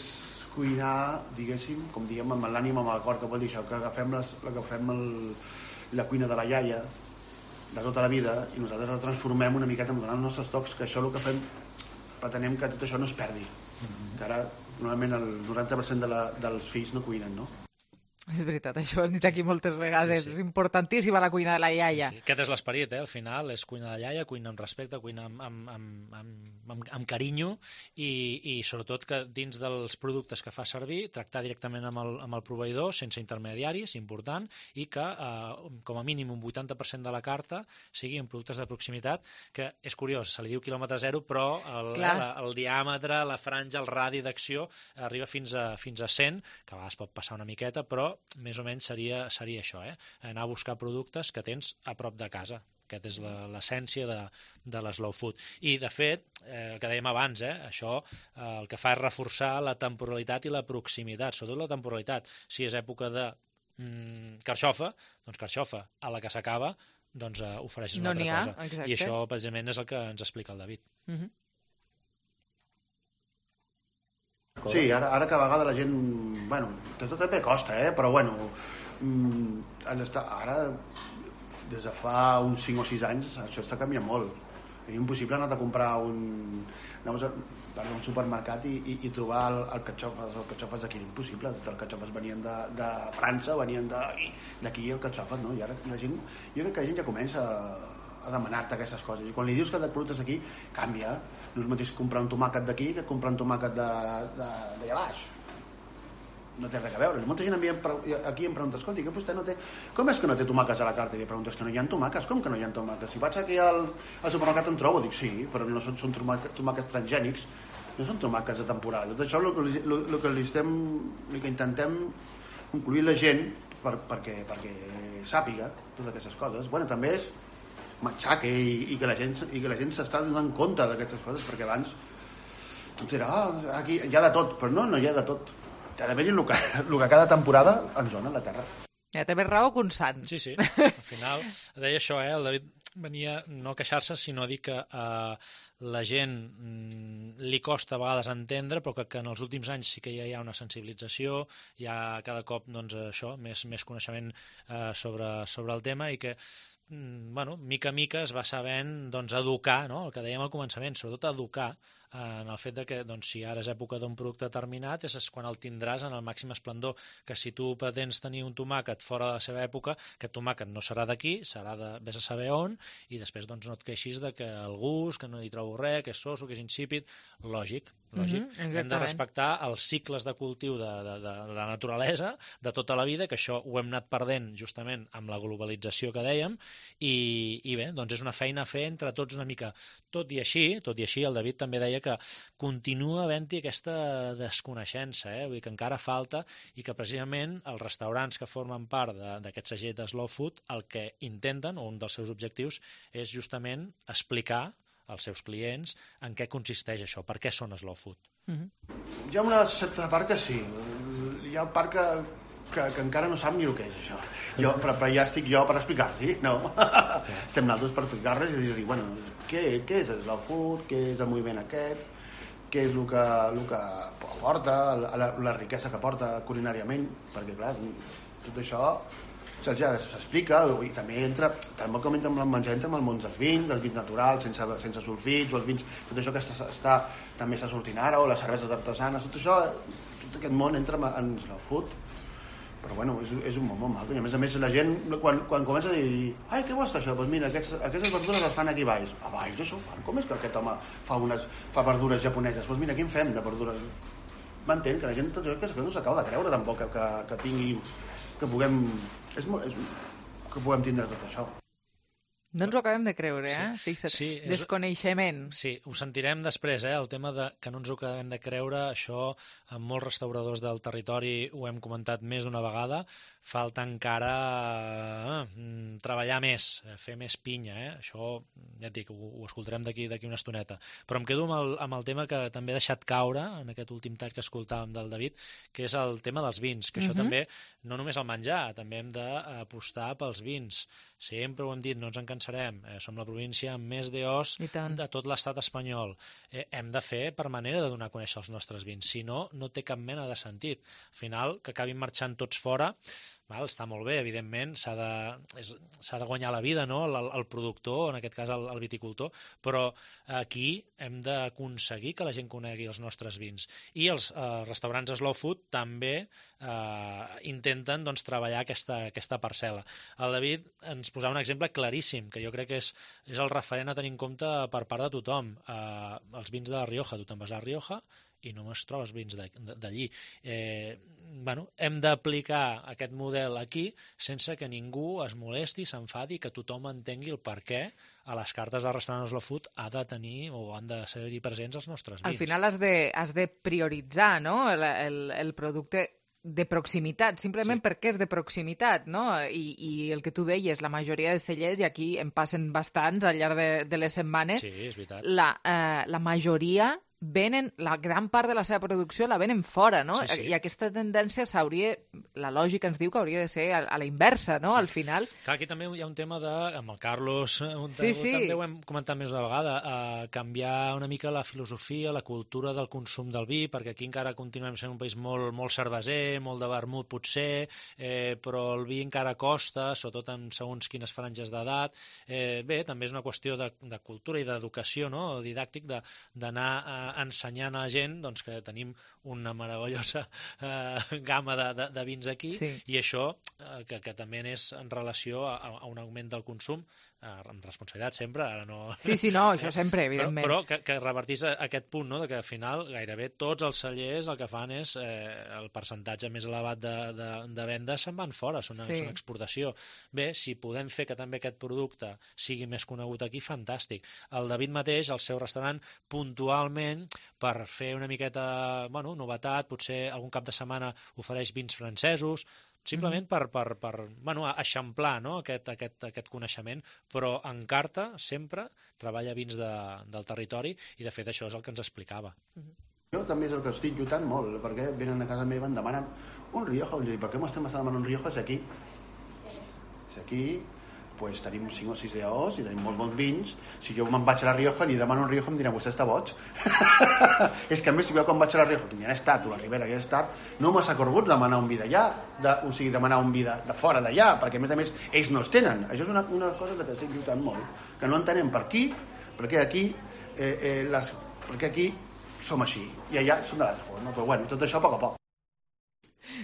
cuinar, diguéssim, com diguem, amb l'ànima, amb el cor, que vol dir això, que agafem la cuina de la iaia, de tota la vida, i nosaltres la transformem una miqueta donant els nostres tocs, que això el que fem, pretenem que tot això no es perdi. Que ara, normalment, el 90% dels fills no cuinen, no?
És veritat, això ho hem dit aquí moltes vegades. Sí. És importantíssima la cuina de la iaia.
Sí. Aquest és l'esperit, al final, és cuina de iaia, cuina amb respecte, cuina amb carinyo i sobretot que dins dels productes que fa servir, tractar directament amb el proveïdor, sense intermediaris, important, i que com a mínim un 80% de la carta sigui en productes de proximitat, que és curiós, se li diu quilòmetre zero, però el diàmetre, la franja, el radi d'acció arriba fins a 100, que a vegades pot passar una miqueta, però més o menys seria això, anar a buscar productes que tens a prop de casa. Aquesta és l'essència de l'slow food. I, de fet, el que dèiem abans, això el que fa és reforçar la temporalitat i la proximitat, sobretot la temporalitat. Si és època de carxofa, doncs carxofa. A la que s'acaba, doncs ofereixes una altra cosa. Exacte. I això, precisament, és el que ens explica el David.
Sí, ara que a vegades la gent... Bueno, tot també costa, però bueno... Ara, des de fa uns 5 o 6 anys, això està canviant molt. És impossible anar a comprar un supermercat i trobar el catxofes d'aquí. Impossible. Els catxofes venien de França, venien d'aquí el catxofes, no? I ara la gent... Jo crec que la gent ja comença a demanar-te aquestes coses. I quan li dius que de productes aquí, canvia. No és mateix comprar un tomàquet d'aquí que comprar un tomàquet d'allà baix. no té res a veure. Molta gent aquí em pregunta, escolti, que vostè no té... Com és que no té tomàquets a la carta? I li pregunto, és que no hi ha tomàquets. Com que no hi ha tomàquets? Si vaig aquí al supermercat en trobo, dic, sí, però no són tomàquets transgènics, no són tomàquets de temporada. Tot això el que intentem concluir la gent perquè sàpiga totes aquestes coses. Bueno, també és matxaque i que la gent s'està donant compte d'aquestes coses, perquè abans tot era, aquí hi ha de tot, però no hi ha de tot. Ha d'haver-hi el que cada temporada ens dona la Terra.
Ja té més raó que un sant.
Sí. Al final, deia això, el David venia no a queixar-se, sinó a dir que la gent li costa a vegades entendre, però que en els últims anys sí que ja hi ha una sensibilització, hi ha cada cop això, més coneixement sobre el tema, i que mica en mica es va sabent educar, no? El que dèiem al començament, sobretot educar en el fet de que si ara és època d'un producte determinat és quan el tindràs en el màxim esplendor, que si tu pretens tenir un tomàquet fora de la seva època, aquest tomàquet no serà d'aquí, serà de vés a saber on, i després no et queixis de que el gust, que no hi trobo res, que és soso, que és insípid. Lògic. Hem de respectar els cicles de cultiu de la naturalesa de tota la vida, que això ho hem anat perdent justament amb la globalització que dèiem, i bé, és una feina a fer entre tots una mica. Tot i així, el David també deia que continua havent-hi aquesta desconeixença, vull dir que encara falta, i que precisament els restaurants que formen part d'aquest segell de Slow Food el que intenten, o un dels seus objectius, és justament explicar als seus clients en què consisteix això, per què són slow food.
Hi ha una certa part que sí, hi ha part que encara no sap ni el que és això, però ja estic jo per explicar-s'hi, no? Estem nosaltres per explicar-les i dir-li, bueno, què és el slow food, què és el moviment aquest, què és el que porta, la riquesa que porta culinàriament, perquè clar, tot això ja s'explica, i també entra com entra amb el menjar, entra amb el món dels vins naturals, sense sulfits, els vins, tot això que també està sortint ara, o les cerveses artesanes, tot això, tot aquest món entra en slow food, però bueno, és un món molt maco, i a més la gent, quan comença a dir, ai, què vostre això? Doncs mira, aquestes verdures les fan aquí a Valls. A Valls això ho fan? Com és que aquest home fa verdures japoneses? Doncs mira, aquí en fem de verdures? M'entén que la gent tot això que no s'acaba de creure tampoc que tingui, que puguem tindre tot això.
No ens ho acabem de creure, Fixa't. Sí, desconeixement.
Sí, ho sentirem després, el tema que no ens ho acabem de creure, això amb molts restauradors del territori ho hem comentat més d'una vegada, falta encara treballar més, fer més pinya, això ja et dic, ho escoltarem d'aquí una estoneta. Però em quedo amb el tema que també he deixat caure en aquest últim tall que escoltàvem del David, que és el tema dels vins, que això també, no només el menjar, també hem d'apostar pels vins. Sempre ho hem dit, no ens en cansarem, som la província amb més DOs de tot l'estat espanyol. Hem de fer per manera de donar a conèixer els nostres vins, si no, no té cap mena de sentit. Al final, que acabin marxant tots fora, està molt bé, evidentment, s'ha de guanyar la vida, no? El productor, en aquest cas el viticultor, però aquí hem d'aconseguir que la gent conegui els nostres vins. I els restaurants slow food també intenten treballar aquesta parcel·la. El David ens posava un exemple claríssim, que jo crec que és el referent a tenir en compte per part de tothom. Els vins de la Rioja, tu te'n vas a la Rioja i només trobes vins d'allí. Hem d'aplicar aquest model aquí sense que ningú es molesti, s'enfadi, que tothom entengui el per què a les cartes del restaurant Slow Food ha de tenir o han de ser-hi presents els nostres vins.
Al final has de prioritzar, no? El producte de proximitat, simplement perquè és de proximitat, no? I el que tu deies, la majoria de cellers, i aquí en passen bastants al llarg de les setmanes,
sí, és veritat.
La majoria venen, la gran part de la seva producció la venen fora, no?
Sí.
I aquesta tendència la lògica ens diu que hauria de ser a la inversa, no? Al final.
Clar, aquí també hi ha un tema amb el Carlos, també ho hem comentat més una vegada, canviar una mica la filosofia, la cultura del consum del vi, perquè aquí encara continuem sent un país molt, molt cerveser, molt de vermut potser, però el vi encara costa, sobretot en segons quines franges d'edat. Bé, també és una qüestió de cultura i d'educació, no? Didàctic, d'anar ensenyant a la gent que tenim una meravellosa gamma de vins aquí, i això que també és en relació a un augment del consum amb responsabilitat sempre, ara no...
Sí, no, això sempre, evidentment.
Però que revertís aquest punt, no?, de que al final gairebé tots els cellers el que fan és el percentatge més elevat de vendes se'n van fora, són exportació. Bé, si podem fer que també aquest producte sigui més conegut aquí, fantàstic. El David mateix, al seu restaurant, puntualment, per fer una miqueta, novetat, potser algun cap de setmana ofereix vins francesos, simplement per eixamplar, no?, aquest coneixement, però en carta sempre treballa vins del territori i de fet això és el que ens explicava.
Jo també és el que estic lluitant molt, perquè venen a casa meva i em demanen un Rioja, per què m'estem demanant un Rioja si aquí pues, tenim 5 o 6 DAOs i tenim molts vins. Si jo me'n vaig a la Rioja i li demano un Rioja em dirà, vostè està boig. És que a més, si jo quan vaig a la Rioja, que ja he estat, o a la Ribera ja he estat, no m'ha ocorregut demanar un vi d'allà, o sigui, demanar un vi de fora d'allà, perquè a més ells no els tenen. Això és una cosa que estic lluitant molt, que no entenem perquè aquí som així, i allà som de l'altra forma. Però bueno, tot això a poc a poc.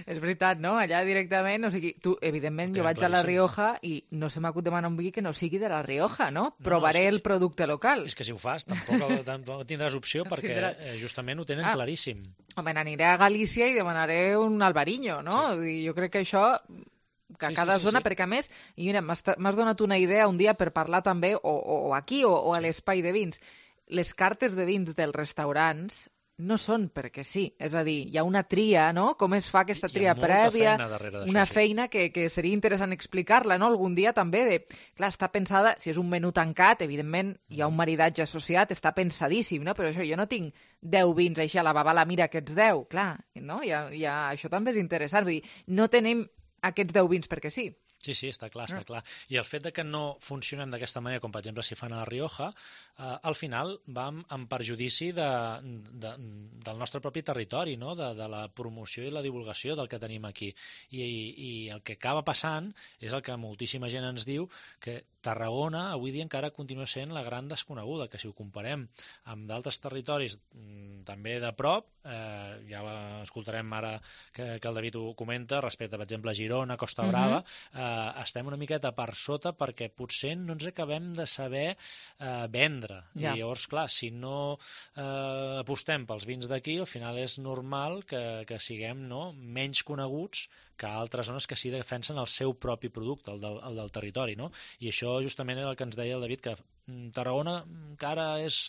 És veritat, no? Allà directament, o sigui, tu, evidentment, jo vaig a la Rioja i no se m'acut demanar un vi que no sigui de la Rioja, no? Provaré el producte local.
És que si ho fas, tampoc tindràs opció perquè justament ho tenen claríssim.
Home, aniré a Galícia i demanaré un Albariño, no? Sí. Jo crec que això que a cada zona, perquè a més, i mira, m'has donat una idea un dia per parlar també, o aquí, o a l'espai de vins. Les cartes de vins dels restaurants no són perquè sí, és a dir, hi ha una tria, no? Com es fa aquesta tria prèvia, una feina que seria interessant explicar-la, no? Algun dia també clar, està pensada, si és un menú tancat, evidentment hi ha un maridatge associat, està pensadíssim, no? Però això, jo no tinc 10 vins així a la babala, mira aquests 10, clar, no? Això també és interessant, vull dir, no tenim aquests 10 vins perquè sí.
Sí, està clar. I el fet de que no funcionem d'aquesta manera, com per exemple si fan a la Rioja, al final va en perjudici del nostre propi territori, no? De la promoció i la divulgació del que tenim aquí. I el que acaba passant és el que moltíssima gent ens diu, que Tarragona avui dia encara continua sent la gran desconeguda, que si ho comparem amb d'altres territoris també de prop, ja escoltarem ara que el David ho comenta, respecte, per exemple, a Girona, Costa Brava, estem una miqueta per sota perquè potser no ens acabem de saber vendre. I llavors, clar, si no apostem pels vins d'aquí, al final és normal que siguem menys coneguts que altres zones que sí defensen el seu propi producte, el del territori, no? I això justament era el que ens deia el David, que Tarragona encara és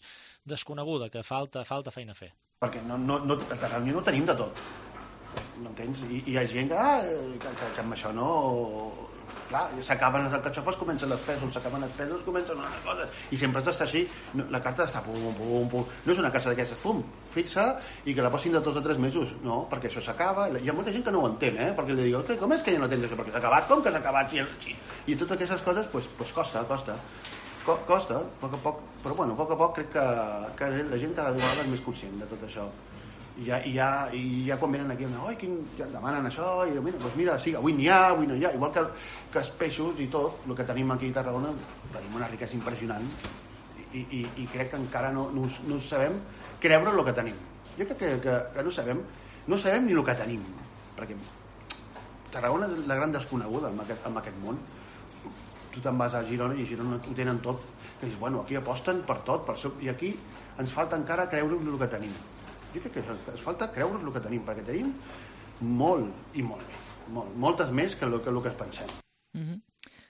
desconeguda, que falta feina a fer.
Perquè a Tarragona no tenim de tot, m'entens? I hi ha gent que amb això no... Clar, s'acaben els alcatxofes, comencen les pèsols, s'acaben els pèsols, comencen una cosa, i sempre està així, la carta està pum. No és una casa d'aquestes, fixa, i que la posin de 2 o 3 mesos, no, perquè això s'acaba. Hi ha molta gent que no ho entén, perquè li diu, com és que ja no tens això, perquè s'ha acabat, com que s'ha acabat? I totes aquestes coses, doncs costa, a poc, però bueno, a poc crec que la gent cada vegada és més conscient de tot això. I ja quan venen aquí ja demanen això, i mira, sí, avui n'hi ha, avui no hi ha, igual que els peixos i tot, el que tenim aquí a Tarragona, tenim una riquesa impressionant i crec que encara no sabem creure el que tenim. Jo crec que no sabem ni el que tenim, perquè Tarragona és la gran desconeguda en aquest món. Tu te'n vas a Girona i a Girona ho tenen tot, que dius, bueno, aquí aposten per tot, i aquí ens falta encara creure el que tenim. Jo crec que ens falta creure's el que tenim, perquè tenim molt i molt més, moltes més que el que ens pensem.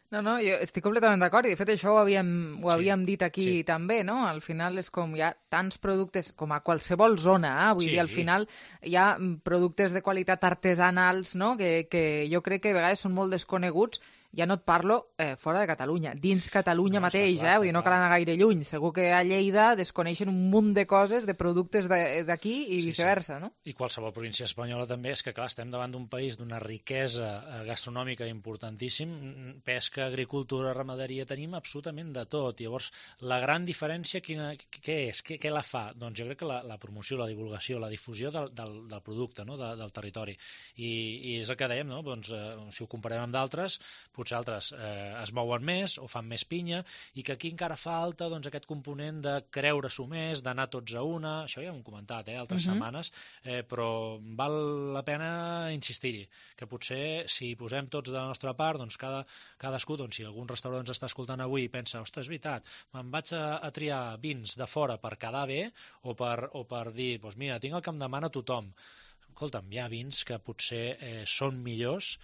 No, jo estic completament d'acord, i de fet això ho havíem dit aquí també, no? Al final és com hi ha tants productes, com a qualsevol zona, vull dir, al final hi ha productes de qualitat artesanals, no? Que jo crec que a vegades són molt desconeguts. Ja no et parlo fora de Catalunya, dins Catalunya mateix, vull dir, no cal anar gaire lluny. Segur que a Lleida desconeixen un munt de coses, de productes d'aquí i viceversa, no?
I qualsevol província espanyola també, és que clar, estem davant d'un país d'una riquesa gastronòmica importantíssim, pesca, agricultura, ramaderia, tenim absolutament de tot. Llavors, la gran diferència què és? Què la fa? Doncs jo crec que la promoció, la divulgació, la difusió del producte, no? Del territori. I és el que dèiem, no? Doncs, si ho comparem amb d'altres, potser potser altres es mouen més o fan més pinya, i que aquí encara falta doncs, aquest component de creure-s'ho més, d'anar tots a una, això ja ho hem comentat altres setmanes, però val la pena insistir-hi, que potser si posem tots de la nostra part, doncs cadascú, doncs, si algun restaurant ens està escoltant avui i pensa, ostres, és veritat, me'n vaig a triar vins de fora per quedar bé o per dir, doncs mira, tinc el que em demana tothom. Escolta'm, hi ha vins que potser són millors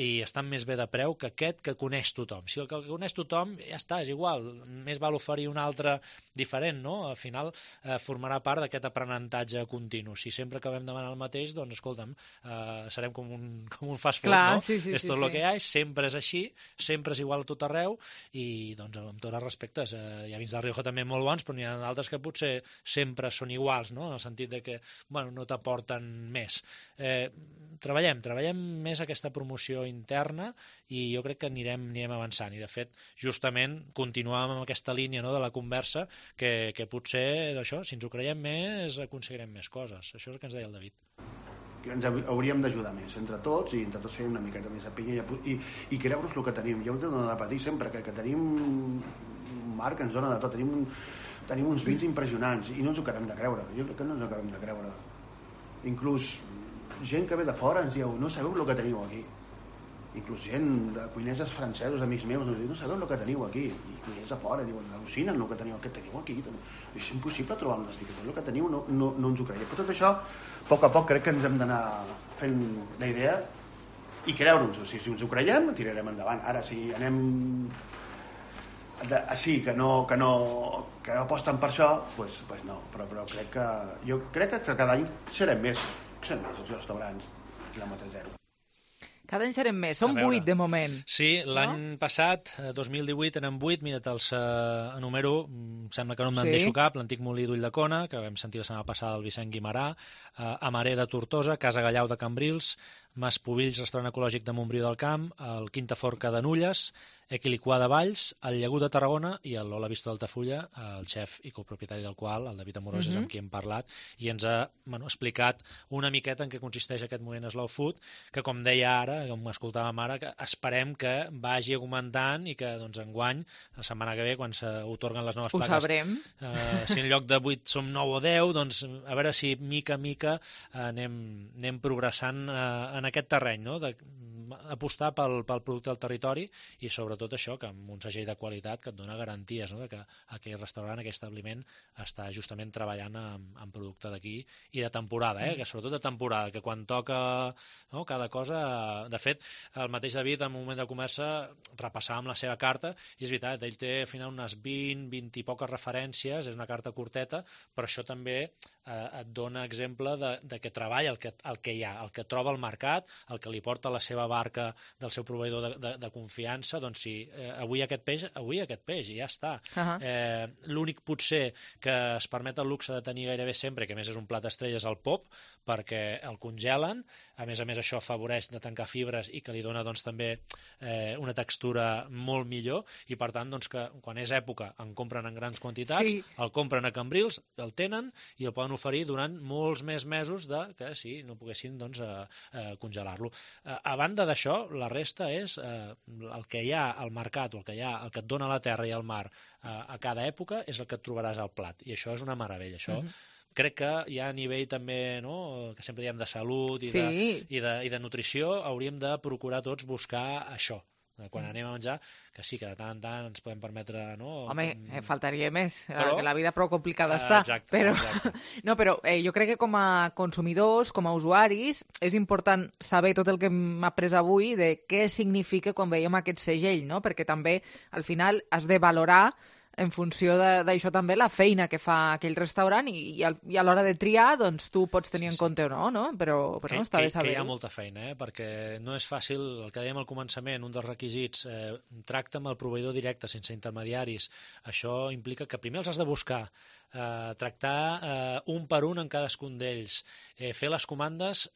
i estan més bé de preu que aquest que coneix tothom. Si el que coneix tothom, ja està, és igual. Més val oferir un altre diferent, no? Al final formarà part d'aquest aprenentatge continu. Si sempre acabem demanant el mateix, doncs, escolta'm, serem com un fast food, no? És tot el que hi ha, sempre és així, sempre és igual a tot arreu, i, doncs, amb tots els respectes, hi ha vins del Rioja també molt bons, però n'hi ha d'altres que potser sempre són iguals, no? En el sentit de que, bueno, no t'aporten més. Treballem més aquesta promoció interna i jo crec que anirem avançant, i de fet justament continuàvem amb aquesta línia, no, de la conversa que potser d'això, si ens ho creiem més aconseguirem més coses. Això és el que ens deia el David.
Ens hauríem d'ajudar més entre tots i entre tots fer una miqueta més de pinya i creure's el que tenim. Jo ho dono de patir sempre, que tenim un mar que ens dona de tot, tenim uns vins impressionants i no ens ho acabem de creure. Jo crec que no ens ho acabem de creure. Inclús gent que ve de fora ens diu, no sabeu el que teniu aquí. Inclús gent de cuiners francesos, amics meus, ens diu, no sabeu el que teniu aquí. I cuiners de fora diuen, al·lucinen el que teniu aquí. És impossible trobar un destí, el que teniu no ens ho creiem. Però tot això, a poc crec que ens hem d'anar fent la idea i creure-nos. Si ens ho creiem, tirarem endavant. Ara, si anem així, que no aposten per això, doncs no. Però jo crec que cada any serem més els restaurants quilòmetre zero.
Cada any serem més. Són 8 de moment.
Sí, l'any passat, 2018, eren 8. Mira, te'ls enumero. Sembla que no me'n deixo cap. L'antic Molí d'Ulldecona, que vam sentir la setmana passada el Vicent Guimarà, Amaré de Tortosa, Casa Gallau de Cambrils, Mas Pubills, restaurant ecològic de Montbrió del Camp, el Quinta Forca de Nulles, Equiliquà de Valls, el Llagut de Tarragona i el Lola Vista d'Altafulla, el xef i copropietari del qual, el David Amorós, és amb qui hem parlat, i ens ha explicat una miqueta en què consisteix aquest moviment Slow Food, que com deia ara, com escoltàvem ara, que esperem que vagi augmentant i que doncs, enguany, la setmana que ve, quan s'atorguen les noves plaques,
ho sabrem.
Si en lloc de 8 som 9 o 10, doncs a veure si mica a mica anem progressant en aquest terreny, no? Apostar pel producte del territori i sobretot això, que amb un segell de qualitat que et dona garanties, no? Que aquell restaurant, aquell establiment està justament treballant amb producte d'aquí i de temporada, que sobretot de temporada, que quan toca cada cosa... De fet, el mateix David en un moment de conversa repassàvem la seva carta i és veritat, ell té al final unes 20 i poques referències, és una carta curteta, però això també et dona exemple de que treballa el que hi ha, el que troba al mercat, el que li porta la seva barca del seu proveïdor de confiança, doncs sí, avui aquest peix i ja està. L'únic potser que es permet el luxe de tenir gairebé sempre, que a més és un plat estrella, és el pop, perquè el congelen, a més això afavoreix de tancar fibres i que li dona doncs, també una textura molt millor, i per tant doncs, que quan és època en compren en grans quantitats, el compren a Cambrils, el tenen i el poden oferir durant molts més mesos que si no poguessin doncs, congelar-lo. A banda d'això, la resta és el que hi ha al mercat, el que et dona la terra i el mar a cada època és el que et trobaràs al plat, i això és una meravella. Això crec que ja a nivell també, no, que sempre diem de salut i de nutrició, hauríem de procurar tots buscar això. Quan anem a menjar, que sí, que de tant en tant ens podem permetre... No?
Home, faltaria més, que la vida prou complicada està. Exacte. No, però jo crec que com a consumidors, com a usuaris, és important saber tot el que hem après avui de què significa quan veiem aquest segell, no? Perquè també, al final, has de valorar en funció d'això també la feina que fa aquell restaurant i a l'hora de triar doncs tu pots tenir en compte o no? Però està bé saber-ho.
Que hi ha molta feina, perquè no és fàcil, el que dèiem al començament, un dels requisits, tracta amb el proveïdor directe, sense intermediaris. Això implica que primer els has de buscar tractar un per un en cadascun d'ells, fer les comandes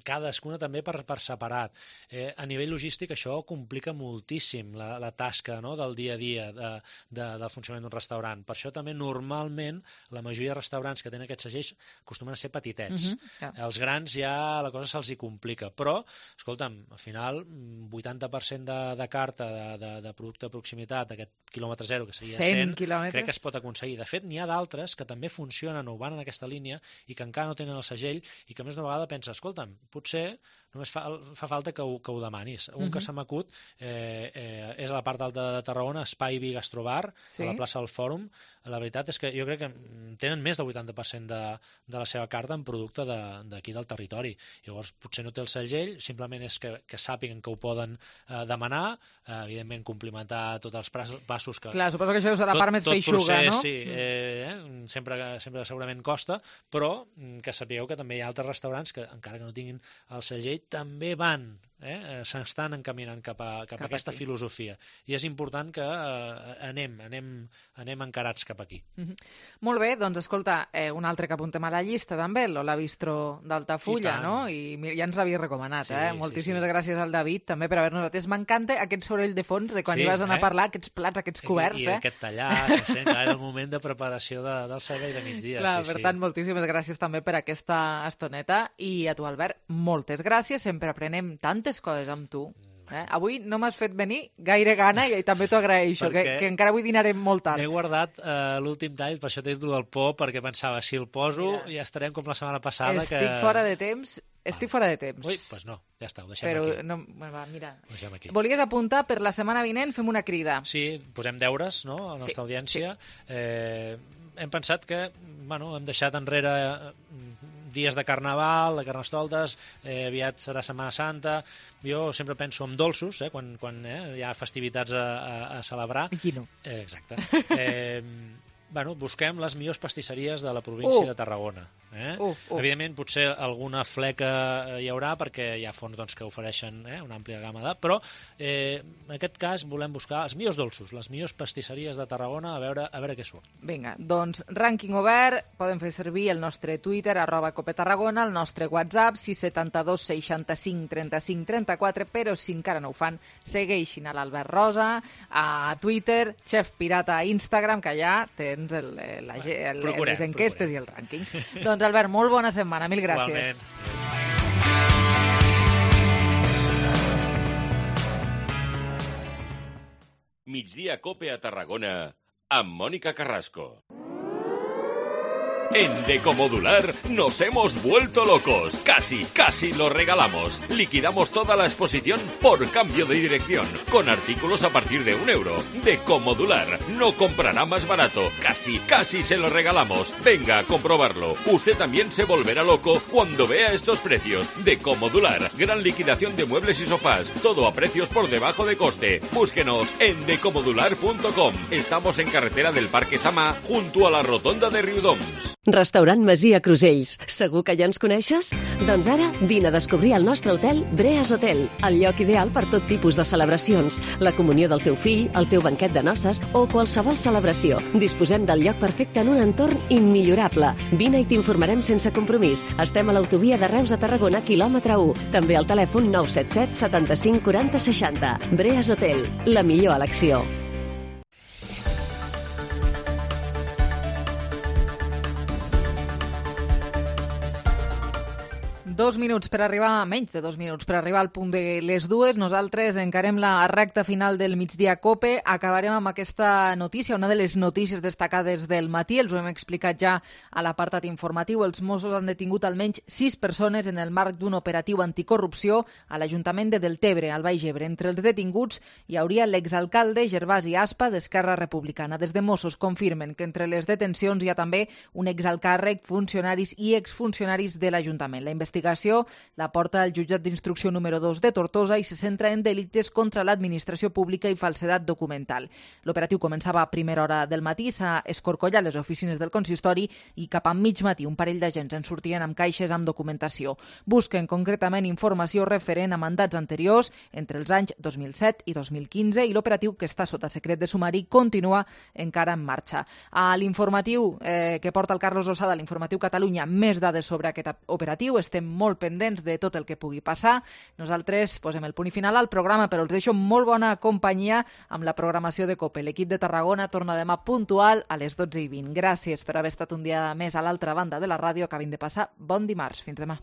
cadascuna també per separat. A nivell logístic això complica moltíssim la tasca, no?, del dia a dia del funcionament d'un restaurant. Per això també normalment la majoria de restaurants que tenen aquests segells acostumen a ser petitets. Els grans ja la cosa se'ls hi complica, però, escolta'm, al final 80% de carta de producte de proximitat, aquest quilòmetre zero, que seria 100 crec que es pot aconseguir. De fet, n'hi ha d'altres que també funcionen o van en aquesta línia i que encara no tenen el segell i que més d'una vegada pensa, escolta'm, potser només fa falta que ho demanis. Un que se m'acut és a la part alta de Tarragona, Espai Vi Gastrobar, a la plaça del Fòrum. La veritat és que jo crec que tenen més del 80% de la seva carta en producte d'aquí del territori. Llavors, potser no té el segell, simplement és que sàpiguen que ho poden demanar, evidentment complimentar tots els passos que...
Clar, suposo que això és la part més feixuga, no?
Sí, sempre segurament costa, però que sapigueu que també hi ha altres restaurants que, encara que no tinguin el segell, també van, s'estan encaminant cap a aquesta filosofia. I és important que anem encarats cap aquí.
Molt bé, doncs escolta, un altre que apuntem a la llista també, l'Ola Bistro d'Altafulla, no? I ja ens l'havia recomanat, Moltíssimes gràcies al David també per haver-nos atès. M'encanta aquest soroll de fons de quan hi vas anar a parlar, aquests plats, aquests coberts.
I aquest tallar, era el moment de preparació del servei de migdia.
Clar, per tant, moltíssimes gràcies també per aquesta estoneta. I a tu, Albert, moltes gràcies. Sempre aprenem tantes coses amb tu. Avui no m'has fet venir gaire gana i també t'ho agraeixo, que encara avui dinarem molt tard.
M'he guardat l'últim tall, per això t'he dit del por, perquè pensava, si el poso ja estarem com la setmana passada.
Estic fora de temps.
Ui, doncs no, ja està, ho deixem
aquí.
Però
no, va, mira.
Ho deixem aquí.
Volies apuntar per la setmana vinent, fem una crida.
Sí, posem deures, no?, a la nostra audiència. Hem pensat que, hem deixat enrere dies de Carnaval, de Carnestoltes, aviat serà Setmana Santa. Jo sempre penso en dolços, quan hi ha festivitats a celebrar.
I qui no?
Exacte. Busquem les millors pastisseries de la província de Tarragona. Evidentment, potser alguna fleca hi haurà, perquè hi ha fons que ofereixen una àmplia gamma però en aquest cas volem buscar els millors dolços, les millors pastisseries de Tarragona, a veure què surt.
Vinga, doncs rànquing obert, poden fer servir el nostre Twitter, @copetarragona, el nostre WhatsApp, 672 65 35 34, però si encara no ho fan, segueixin a l'Albert Rosa, a Twitter, Chef Pirata a Instagram, que allà tens les enquestes i el rànquing. Doncs Albert, molt bona setmana, mil gràcies.
Igualment.
Migdia Cope a Tarragona amb Mónica Carrasco. En Decomodular nos hemos vuelto locos. Casi lo regalamos. Liquidamos toda la exposición por cambio de dirección, con artículos a partir de €1. Decomodular no comprará más barato. Casi se lo regalamos. Venga a comprobarlo. Usted también se volverá loco cuando vea estos precios. Decomodular, gran liquidación de muebles y sofás. Todo a precios por debajo de coste. Búsquenos en decomodular.com. Estamos en carretera del Parque Samà, junto a la rotonda de Riudoms.
Restaurant Masia Crusells. Segur que ja ens coneixes? Doncs ara vine a descobrir el nostre hotel Breas Hotel, el lloc ideal per tot tipus de celebracions, la comunió del teu fill, el teu banquet de noces o qualsevol celebració. Disposem del lloc perfecte en un entorn immillorable. Vine i t'informarem sense compromís. Estem a l'autovia de Reus a Tarragona, quilòmetre 1. També al telèfon 977 75 40 60. Breas Hotel, la millor elecció.
Menys de 2 minuts per arribar al punt de les 2. Nosaltres encarem la recta final del Migdia Cope. Acabarem amb aquesta notícia, una de les notícies destacades del matí. Els ho hem explicat ja a l'apartat informatiu. Els Mossos han detingut almenys 6 persones en el marc d'un operatiu anticorrupció a l'Ajuntament de Deltebre, al Baix Ebre. Entre els detinguts hi hauria l'exalcalde Gervasi Aspa d'Esquerra Republicana. Des de Mossos confirmen que entre les detencions hi ha també un exalcàrrec, funcionaris i exfuncionaris de l'Ajuntament. La investigació l'operació la porta al jutjat d'instrucció número 2 de Tortosa i se centra en delictes contra l'administració pública i falsedat documental. L'operatiu començava a primera hora del matí, s'ha escorcollat les oficines del consistori i cap a mig matí un parell d'agents en sortien amb caixes amb documentació. Busquen concretament informació referent a mandats anteriors entre els anys 2007 i 2015 i l'operatiu, que està sota secret de sumari, continua encara en marxa. A l'informatiu que porta el Carlos Losada, l'informatiu Catalunya, més dades sobre aquest operatiu. Estem molt pendents de tot el que pugui passar. Nosaltres posem el punt i final al programa, però els deixo molt bona companyia amb la programació de COPE. L'equip de Tarragona torna demà puntual a les 12:20. Gràcies per haver estat un dia més a l'altra banda de la ràdio. Acabin de passar bon dimarts. Fins demà.